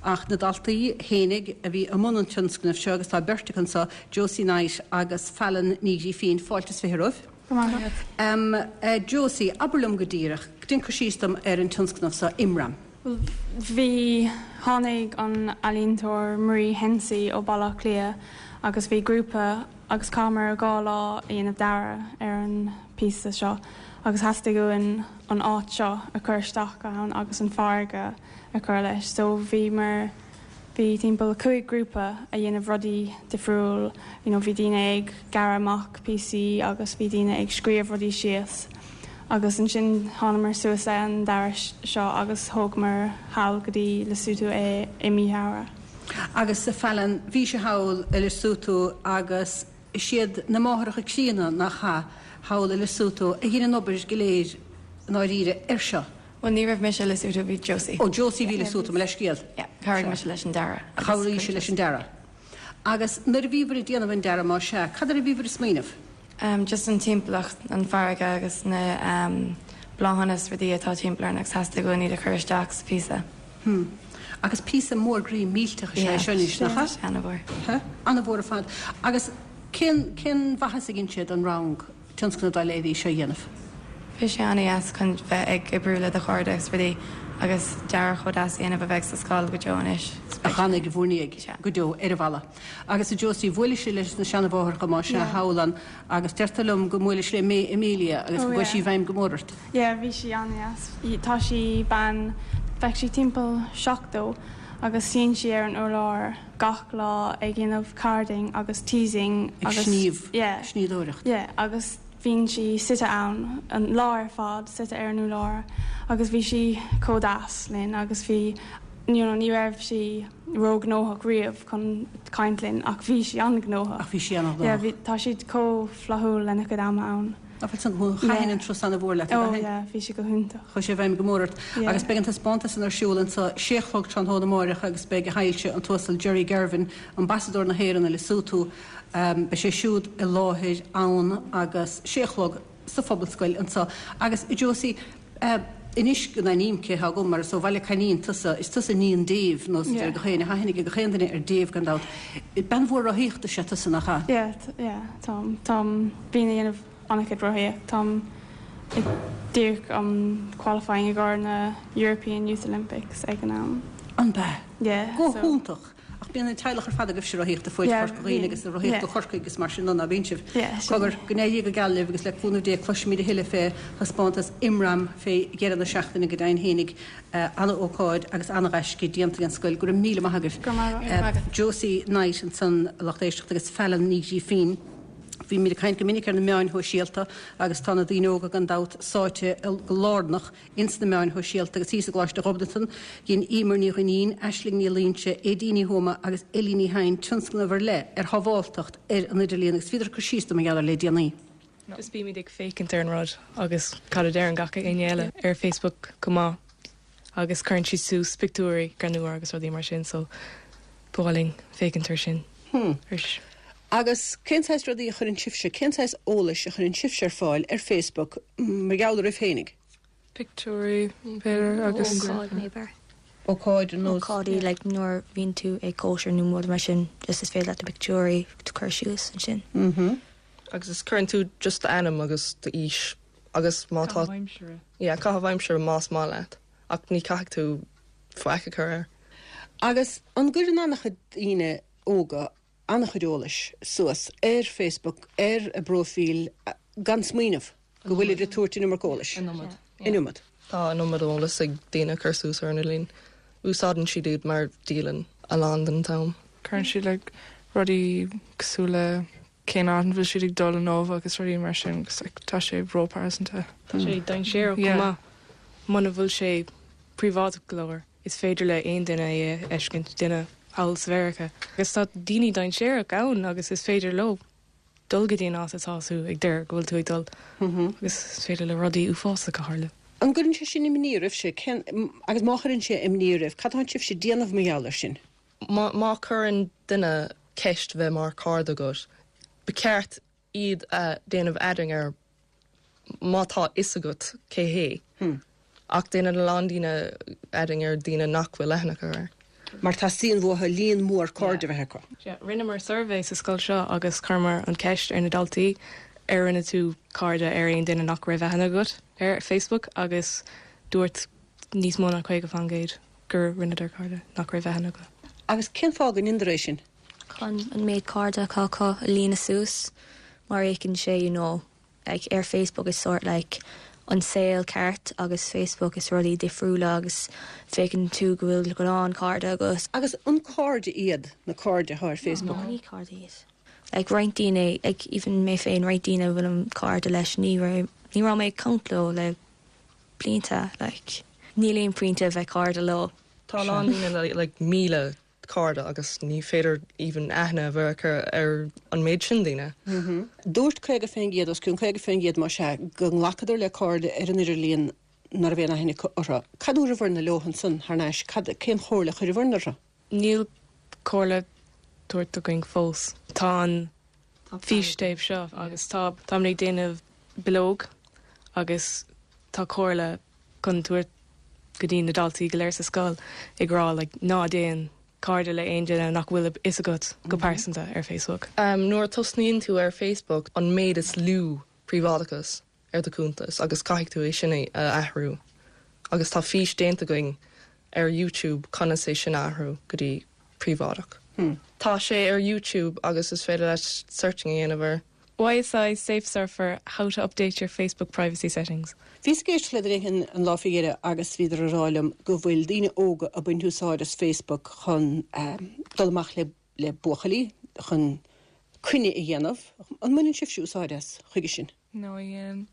Ach na daltaí fhéinig a bhí i mbun an tionscnaimh seo, agus tá beirt acu anseo, Josie Knight agus Fallon Ní Ghrífín, fáilte is 20 romhaibh.
Go raibh maith
agat. Josie, abair liom go díreach, déan cur síos dom ar an tionscnamh seo, Imram.
Bhuel, bhí, tháinig an ealaíontóir Marie Hensey ó Baile Átha Cliath agus bhí grúpa agus chaitheamar 2 lá a dhéanamh dearadh ar an píosa seo agus theastaigh uainn an áit seo a chur isteach ann agus an farraige a chur leis. So bhíomar, bhí timpeall 5 grúpa a dhéanamh rudaí difriúil, you know bhí daoine ag gearradh amach píosaí agus bhí daoine ag scríobh rudaí síos agus ansin thánamar suas le an dearadh seo agus thógamar thall go dtí Lesotho é i mí Feabhra.
Agus a Fallon, bhí sibh thall i Lesotho agus is iad na máithreacha críonna, nach ea, thall i Lesotho a dhein an obair go léir i ndáiríre air seo.
Bhuel, ní raibh mise i Lesotho, bhí Josie.
Ó, Josie a bhí i Lesotho, mo leithscéal.
Yeah, chabhraigh mise leis an dearadh.
Chabhraigh sí leis an dearadh. Agus nuair a bhíobhair ag déanamh an dearadh, más ea, cad air a bhíobhair ag smaoineamh?
Just an timpeallacht, an farraige agus na bláthanna is rudaí atá timpeall orainn agus theastaigh uainn iad a chur isteach sa phíosa.
Hmm. Agus píosa mór groí millteach is ea é seo anois, nach ea?
Yeah, an-mhór.
Huh? An-mhór ar fad. Agus cén, cén mhaitheas a dhein sé don rang tionscnamh dá leithéidí seo a dhéanamh?
Bhí sé an-dheas chun bheith ag oibriú le do chairde agus rudaí agus dearadh chomh deas a dhéanamh a bheidh sa scoil go deo anois.
A fhanfaidh i bhur ndiaidh go deo ar an bhalla. Agus a Josie, bhuailis leis na seanamháithreacha más ea thall ann agus deirtear liom go mbuailis le May Amelia agus go gcuaigh sí i bhfeidhm go mór ort.
Yeah, bhí sí an-dheas. Tá sí bean, bheadh sí timpeall 70 agus suíonn sí ar an urlár gach lá ag dhéanamh carding agus teasing
agus. Ag sníomh, yeah. Snoíodóireacht.
Yeah, agus bíonn sí suite ann an lá ar fad, suite ar an urlár agus bhí sí chomh deas linn agus bhí, you know, ní raibh sí róghnóthach riamh chun caint linn ach bhí sí an-ghnóthach.
Ach bhí sí an-ghnóthach. Yeah,
bhí, tá siad chomh flaithiúil lena cuid ama ann.
Ach bhfuil san, thaitin an turas an-mhór leat,
Oh yeah, bhí sé go hiontach.
Chuaigh sé i bhfeidhm go mór ort. Yeah. Agus beidh an taispeántas san ar siúl anso sé a chlog tráthnóna amáireach agus beidh a Shoilse, an tUasal Jerry Girvin, Ambasadóir na hÉireann i Lesotho, beidh sé siúd i láthair ann agus sé a chlog sa Phobalscoil anso. Agus a Josie, anois go n-aithním cé thá agam mar is ó Bhaile Coimín tusa, is tusa iníon Dave, nós a deir gach éinne, tá aithne ag gach aon duine ar Dave gan dabht. Bean mhór rothaíochta is ea tusa, nach
ea? Yeah, yeah, táim, táim, bím ag déanamh an-chuid rothaíocht, táim ag díreach um qualifying i gcomhair na European Youth Olympics ag an am.
An b'ea?
Yeah,
Go so. hiontach! Ach bíonn an teaghlach ar fad agaibhse ag rothaíocht ag fuaid Chorca Dhuibhne agus ag rothaíocht go Corcaigh agus mar sin de, ná bíonn sibh? Cogar, go n-éirí go geal libh agus le cúnamh Dé cloisfimid a thuilleadh fé thaispeántas Imram fé dheireadh na seachtaine go deimhin fhéinig. Ana-ócáid agus ana-ghaisce déanta ag an scoil. Go raibh míle maith
agaibh.
Josie Knight ansan, a lucht éisteachta agus Fallon Ní Ghrífín. Bímid ag caint go minic ar na meáin shóisialta agus tá na daoine óga gan dabht sáite go lárnach ins na meáin shóisialta agus thíos i gColáiste Ghobnatan, dhein Emer Ní Dhuinnín, Aisling Ní Loingsigh, Aedín Ní Thuama agus Ellie Ní Chadhain tionscnamh ar leith ar shábháltacht ar an idirlíon agus bhíodar ag cur síos dom mar gheall air le déanaí.
Just bímid ag féachaint ar an rud agus cad a deireann gach éinne eile ar Facebook go maith agus cuireann siad suas pictiúirí greannmhar agus rudaí mar sin so ba mhaith linn féachaint ar sin
arís. Agus cén saghas rudaí a chuireann sibhse, cén saghas eolais a chuireann sibhse ar fáil ar Facebook mar gheall oraibh féinig?
Pictiúirí, b'fhéidir,
agus. Ócáid, maybe.
Ócáid ar
nós. Ócáidí, like nuair a bhíonn tú ag cóisir nó rud mar sin, just is féidir leat na pictiúirí a chur suas ansin.
Mhm.
Agus is cuireann tú just d'ainm agus d'aois agus má tá.
Caitheamh aimsire.
Yeah, caitheamh aimsire más maith leat ach ní caithfidh tú faic a chur air.
Agus an gcuireann an-chuid daoine óga. an-chuid eolais suas ar Facebook ar a bpróifíl gan smaoineamh go bhfuilid ag tabhairt an iomarca eolais.
An iomad.
An iomad.
Tá an iomad eolas ag daoine a chur suas ar an idirlíon. Úsáideann siad iad mar dialann a lán den t-am.
Cuireann siad like rudaí cosúil le cén áit an bhfuil siad ag dul inniu agus rudaí mar sin agus like tá sé róphearsanta.
Tá sé dainséarach chomh maith muna bhfuil sé príobháideach go leor. Is féidir le aon duine é a fheiscint, duine thall sa Mheiriceá. Agus tá daoine dainséarach ann agus is féidir leo dul go dtí an áit atá tú ag deir go bhfuil tú ag dul agus is féidir le rudaí uafásacha tharlú.
An gcuireann sé sin imní oraibhse? Cén, agus má chuireann sé imní oraibh, cad tá sibhse ag déanamh mar gheall air sin?
Má chuireann duine ceist bheith mar cairde agat, ba cheart iad a déanamh adding ar má tá fhios agat cé hé. Ach déanann a lán daoine adding ar daoine nach bhfuil aithne acu air.
Mar teastaíonn uathu líon mór cairde a bheith acu.
Sea, rinneamar suirbhé sa scoil seo agus chuireamar an ceist ar na daltaí ar rinne tú cairde ar aon duine nach raibh aithne agat ar Facebook agus dúirt níos mó ná 50% gur rinneadar cairde nach raibh aithne acu.
Agus cén fáth go ndéantar é sin?
chun an méid cairde atá acu a líonadh suas mar fhéachann sé you know like ar Facebook is sort like an saol ceart agus Facebook is rudaí difriúla agus féachann tú go bhfuil go lán cairde agat.
Agus an cairde iad na cairde atá ar Facebook?
No, ní cairde iad. Like roinnt daoine, like even mé féin, roinnt daoine a bhfuilim cairde leis ní raibh, ní raibh mé ag caint leo le blianta like níl aon pointe a bheith cairde leo.
Tá a lán daoine le like 1,000 cairde agus ní féidir even aithne a bheith acu ar an méid sin daoine.
Dúirt 50%, os cionn 50% más ea, go nglacadar le cairde ar an idirlíon ná raibh aon aithne acu orthu. Cad dúradhbharna leo ansan thar n-ais? Cad, cén chomhairle a chuireabharna orthu?
Níl comhairle tabhairt againn fós. Tá an fístéip seo agus tá, táimid ag déanamh bileog agus tá comhairle chun tabhairt go dtí na daltaí go léir sa scoil ag rá like ná déan cairde le aon duine nach bhfuil a fhios agat go pearsanta ar Facebook.
Nuair a tosnaíonn tú ar Facebook an méid is lú príobháideachas ar do chuntas agus caithfidh tú é sin a athrú agus tá fís déanta againn ar YouTube conas é sin a athrú go dtí príobháideach. Tá sé ar YouTube agus is féidir leat searching a dhéanamh air.
YSI Safe Surfer, How to update your Facebook privacy settings.
Bhíos ag éisteacht le duine éigin an lá faoi dheireadh agus bhíodar ag rá liom go bhfuil daoine óga ag baint úsáid as Facebook chun dul amach le le buachaillí, chun coinne a dhéanamh. An mbaineann sibhse úsáid as chuige sin?
No, ní dhéanann.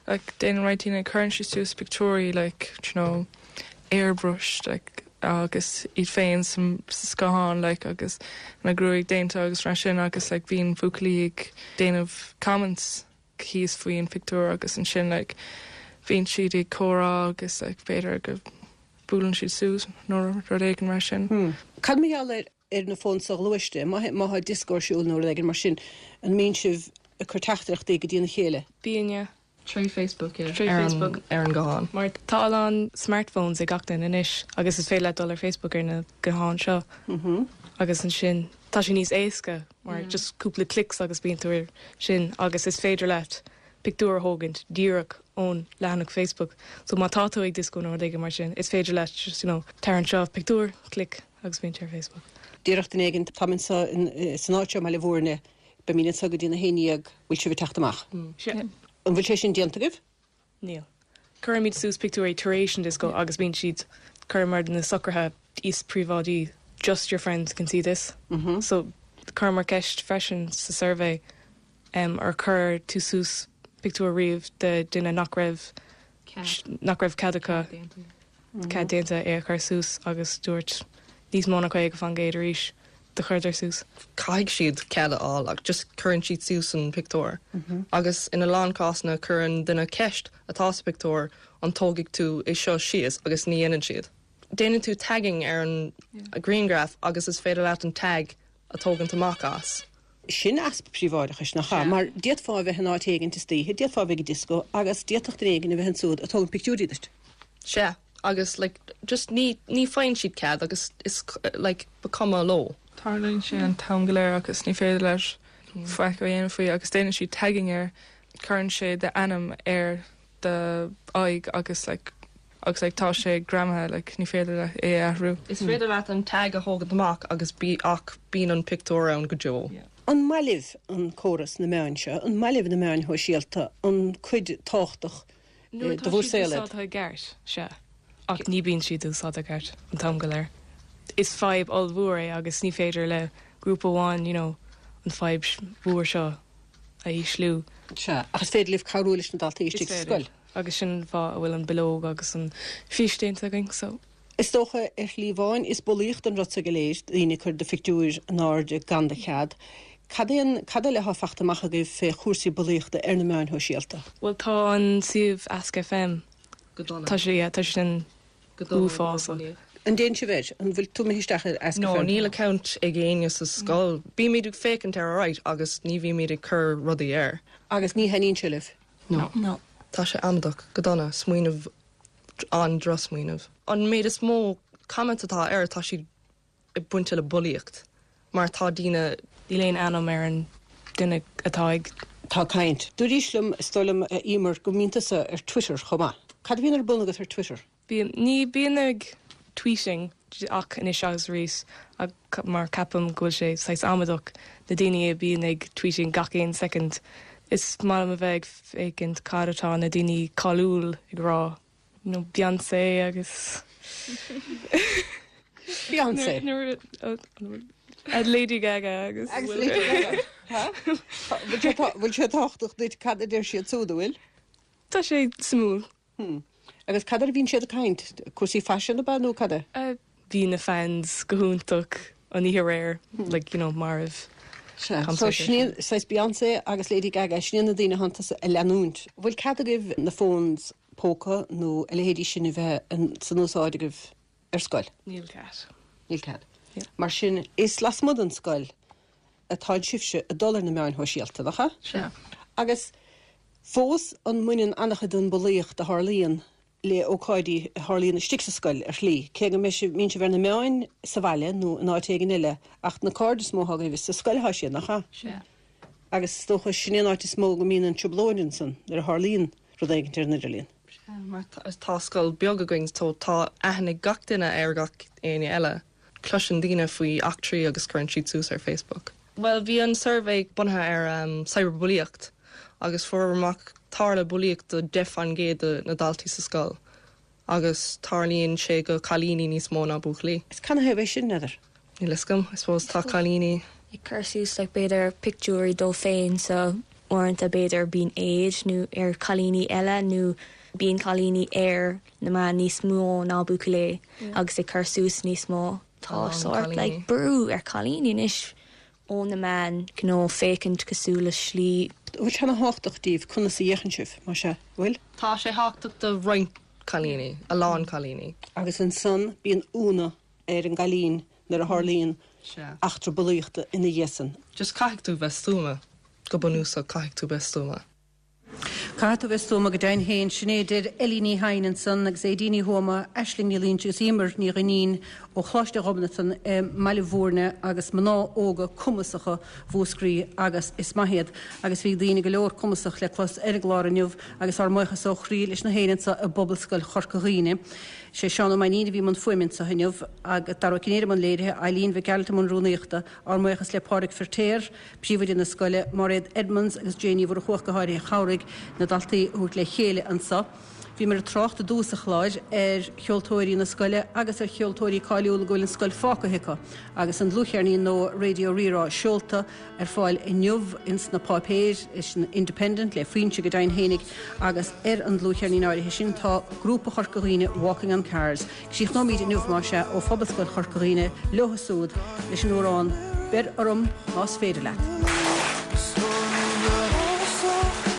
Like, déanann roinnt daoine, cuireann siad suas pictiúirí like, do you know, airbrushed like, agus iad féin sa scáthán like, agus na gruaig déanta agus mar sin agus like, bíonn buachaillí ag déanamh comments thíos faoi an phictiúr agus ansin like, bíonn siad ag comhrá agus like, b'fhéidir go buaileann siad suas nó rud éigin mar sin.
Cad mar gheall ar ar na fóin soghluaiste, má tá dioscó ar siúl nó rud éigin mar sin, an mbíonn sibh ag cur teachtaireachtaí go dtína chéile?
Bíonn, yeah.
Tré Facebook, yeah.
Tré Facebook.
Ar an guthán.
Mar tá a lán smartphones ag gach duine anois agus is féidir leat dul ar Facebook ar na gutháin seo agus ansin tá sé níos éasca mar just cúpla clicks agus bíonn tú ar sin agus is féidir leat pictiúr a thógaint díreach ón leathanach Facebook. So má tá tú ag dioscó nó rud éigin mar sin is féidir leat just you know tar anseo, pictiúr, click agus bíonn sé ar Facebook.
Déarfadh duine éigin, táim anseo san áit seo i mBaile Bhúirne, beimid anseo go dtí na 11, bhfuil sibh ag teacht amach?
Sea.
An bhfuil sé sin déanta agaibh?
Níl. Cuirimid suas pictiúirí tar éis an dioscó agus bíonn siad, chuireamar na socruithe níos príobháidí, just your friends can see this. So chuireamar ceist freisin sa suirbhé ar chuir tú suas pictiúr riamh de duine nach raibh nach raibh cead acu cead déanta é a chur suas agus dúirt níos mó ná 50% arís do chuireadar suas.
Caithfidh siad cead a fháil ach just cuireann siad suas an pictiúr agus ina lán cásanna cuireann duine ceist atá sa pictiúr an tógfaidh tú é seo síos agus ní dhéanann siad. Déanann tú tagging ar an grianghraf agus is féidir leat an tag a tógaint amach as.
Sin easpa príobháideachais, nach ea? Mar d'fhéadfá a bheith in áit éigint istoíche, d'fhéadfá a bheith ag dioscó agus d'fhéadfadh duine éigin a bheith ansúd ag tógaint pictiúirí duit.
Sea, agus like just ní, ní faigheann siad cead agus is like ba cuma leo.
Tarlaíonn sé an t-am go léir agus ní féidir leat faic a dhéanamh faoi agus déanann siad tagging air, cuireann sé d'ainm ar do aghaidh agus like.
Agus like tá sé greamaithe like ní féidir leat é a athrú.
Is féidir leat an tag a thógaint amach agus bí ach bíonn an pictiúr ann go deo.
An maith libh an córas na meáin seo? An maith libh na meáin shóisialta? An cuid tábhachtach
Nuair
de
atá
bhur
siad
saol iad?
úsáidte i gceart, sea. Ach ní bíonn siad úsáidte i gceart an t-am go léir. Is fadhb ollmhór é agus ní féidir le grúpa amháin you know an fadhb mhór seo a ísliú.
Sea, ach is féidir libh cabhrú leis na daltaí
Is
istigh sa
féidir.
scoil.
Agus sin an fáth a bhfuil an bileog agus an fís déanta againn so.
Is dócha, ar shlí amháin, is bulaíocht an rud seo go léir, daoine ag cur do phictiúir in airde gan do chead. Cad é an, cad eile atá fachta amach agaibh fé chúrsaí bulaíochta ar na meáin shóisialta?
Bhuel tá an suíomh Ask FM,
Go dona.
tá sé, yeah, tá sé sin
Go dona
uafásach.
An dtéann sibh air? An bhfuil tú imithe isteach ar Ask
No,
FM?
níl account ag éinne sa scoil. Bímid ag féachaint air alright agus ní bhímid ag cur rudaí air.
Agus ní thaitníonn sé libh?
No.
No.
Tá sé amaideach, go dona, smaoineamh, an-drochsmaoineamh. An méid is mó comments atá air, tá siad ag baint le bulaíocht, mar tá daoine.
Níl aon ainm ar an duine atá ag.
Tá caint. Dúraís liom, is dóigh liom, a Emer, go mbíonn tusa ar Twitter chomh maith. Cad a bhíonn ar bun agat ar Twitter?
Bím, ní bím ag tweeting ach anois agus arís ach mar ceapaim go bhfuil sé saghas amaideach na daoine a bíonn ag tweeting gach aon soicind. Is maith liom a bheith ag féachaint cad atá na daoine cáiliúil ag rá, you know Beyoncé agus
Beyoncé.
Lady Gaga agus
Agus Lady Gaga. Bhfuil sé tábhachtach duit cad a deir siad siúd, an bhfuil?
Tá sé suimiúil.
Hmm. Agus cad air a bhíonn siad ag caint? Cúrsaí faisin ab ea nó cad
é? Bhí na fans go hiontach an oíche aréir, like, you know, marbh.
Sea. So sin iad, saghas Beyoncé agus Lady Gaga, sin iad na daoine atánn tusa a leanúint. Bhfuil cead agaibh na phones póca nó a leithéidí sin a bheith san úsáid agaibh ar scoil?
Níl cead.
Níl cead. Mar sin, is lasmuigh den scoil atánn sibhse ag dul ar na meáin shóisialta, nach ea?
Sea.
Agus fós, an mbaineann an-chuid den bhulaíocht a tharlaíonn le ócáidí a tharlaíonn istigh sa scoil ar shlí, cé go mbeidh sibh, mbíonn sibh ar na meáin sa bhaile nó in áit éigin eile, ach na cairde is mó atá agaibh, is sa scoil atá siad, nach ea?
Sea.
Agus is dócha, sin é an áit is mó go mbíonn an trioblóid ansan, nuair a tharlaíonn rud éigin ar an idirlíon.
Sea, mar tá scoil beag againn so tá aithne ag gach duine ar gach éinne eile. Cloiseann daoine faoi eachtraí agus cuireann siad suas ar Facebook. Bhuel, bhí an suirbhé bunaithe ar cyberbulaíocht agus fuaireamar amach tharla bulaíocht do 10% de na daltaí sa scoil agus tarlaíonn sé go cailíní níos mó ná buachaillí.
Is canathaobh é sin, n'fheadar?
Níl fhios agam, I suppose tá cailíní.
ag cur suas like b'fhéidir pictiúirí dóibh féin so uaireanta b'fhéidir bíonn éad nó ar cailíní eile nó bíonn cailíní ar na meáin níos mó ná buachaillí agus ag cur suas níos mó. Tá sórt like brú ar cailíní anois ó na meáin you know féachaint cosúil le slí.
Bhfuil sé ana thábhachtach daoibh conas a fhéachann sibh, más ea, bhfuil?
Tá sé thábhachtach do roinnt cailíní, a lán cailíní.
Agus ansan bíonn ionadh ar an gcailín nuair a tharlaíonn eachtra bulaíochta ina dhiaidh san.
Just caithfidh tú bheith stuama, go bunúsach caithfidh tú bheith stuama.
Caithfidh tú bheith stuama go deimhin féin. Sin é a deir Ellie Ní Chadhain ansan agus Aedín Ní Thuama, Aisling Ní Loinsigh agus Emer Ní Dhuinnín ó Choláiste Ghobnatan i mBaile Bhúirne agus mná óga cumasacha Mhúscraí agus is maith iad. Agus bhí daoine go leor cumasach le clos ar an gclár inniu agus ár mbuíochas ó chroí leis na héinne anso i bPobalscoil Chorca Dhuibhne. Sé Seán Ó Mainnín a bhí i mbun fuaime anso inniu agus Dara Ó Cinnéide i mbun léirithe, Eileen Mhic Gearailt i mbun rúnaíochta. Ár mbuíochas le Pádraig Firtéar, Príomhoide na scoile, Máiréad Edmonds agus Jane Ní Mhurchú ach go háirithe a chabhraigh na daltaí a thabhairt le chéile anso. Bhíomar ag trácht i dtús an chláir ar cheoltóirí na scoile agus ar cheoltóirí cáiliúla go bhfuil an scoil fágtha acu agus an dlúthcheirnín nua Raidió Rí-Rá seolta ar fáil inniu ins na páipéir, san Independent, le Foinse go deimhin fhéinig agus ar an dlúthcheirnín áirithe sin tá grúpa Chorca Dhuibhne Walking on Cars. Críochnóimid inniu, más ea, ó Phobalscoil Chorca Dhuibhne leo siúd leis an amhrán 'Beir Orm Más Féidir Leat'.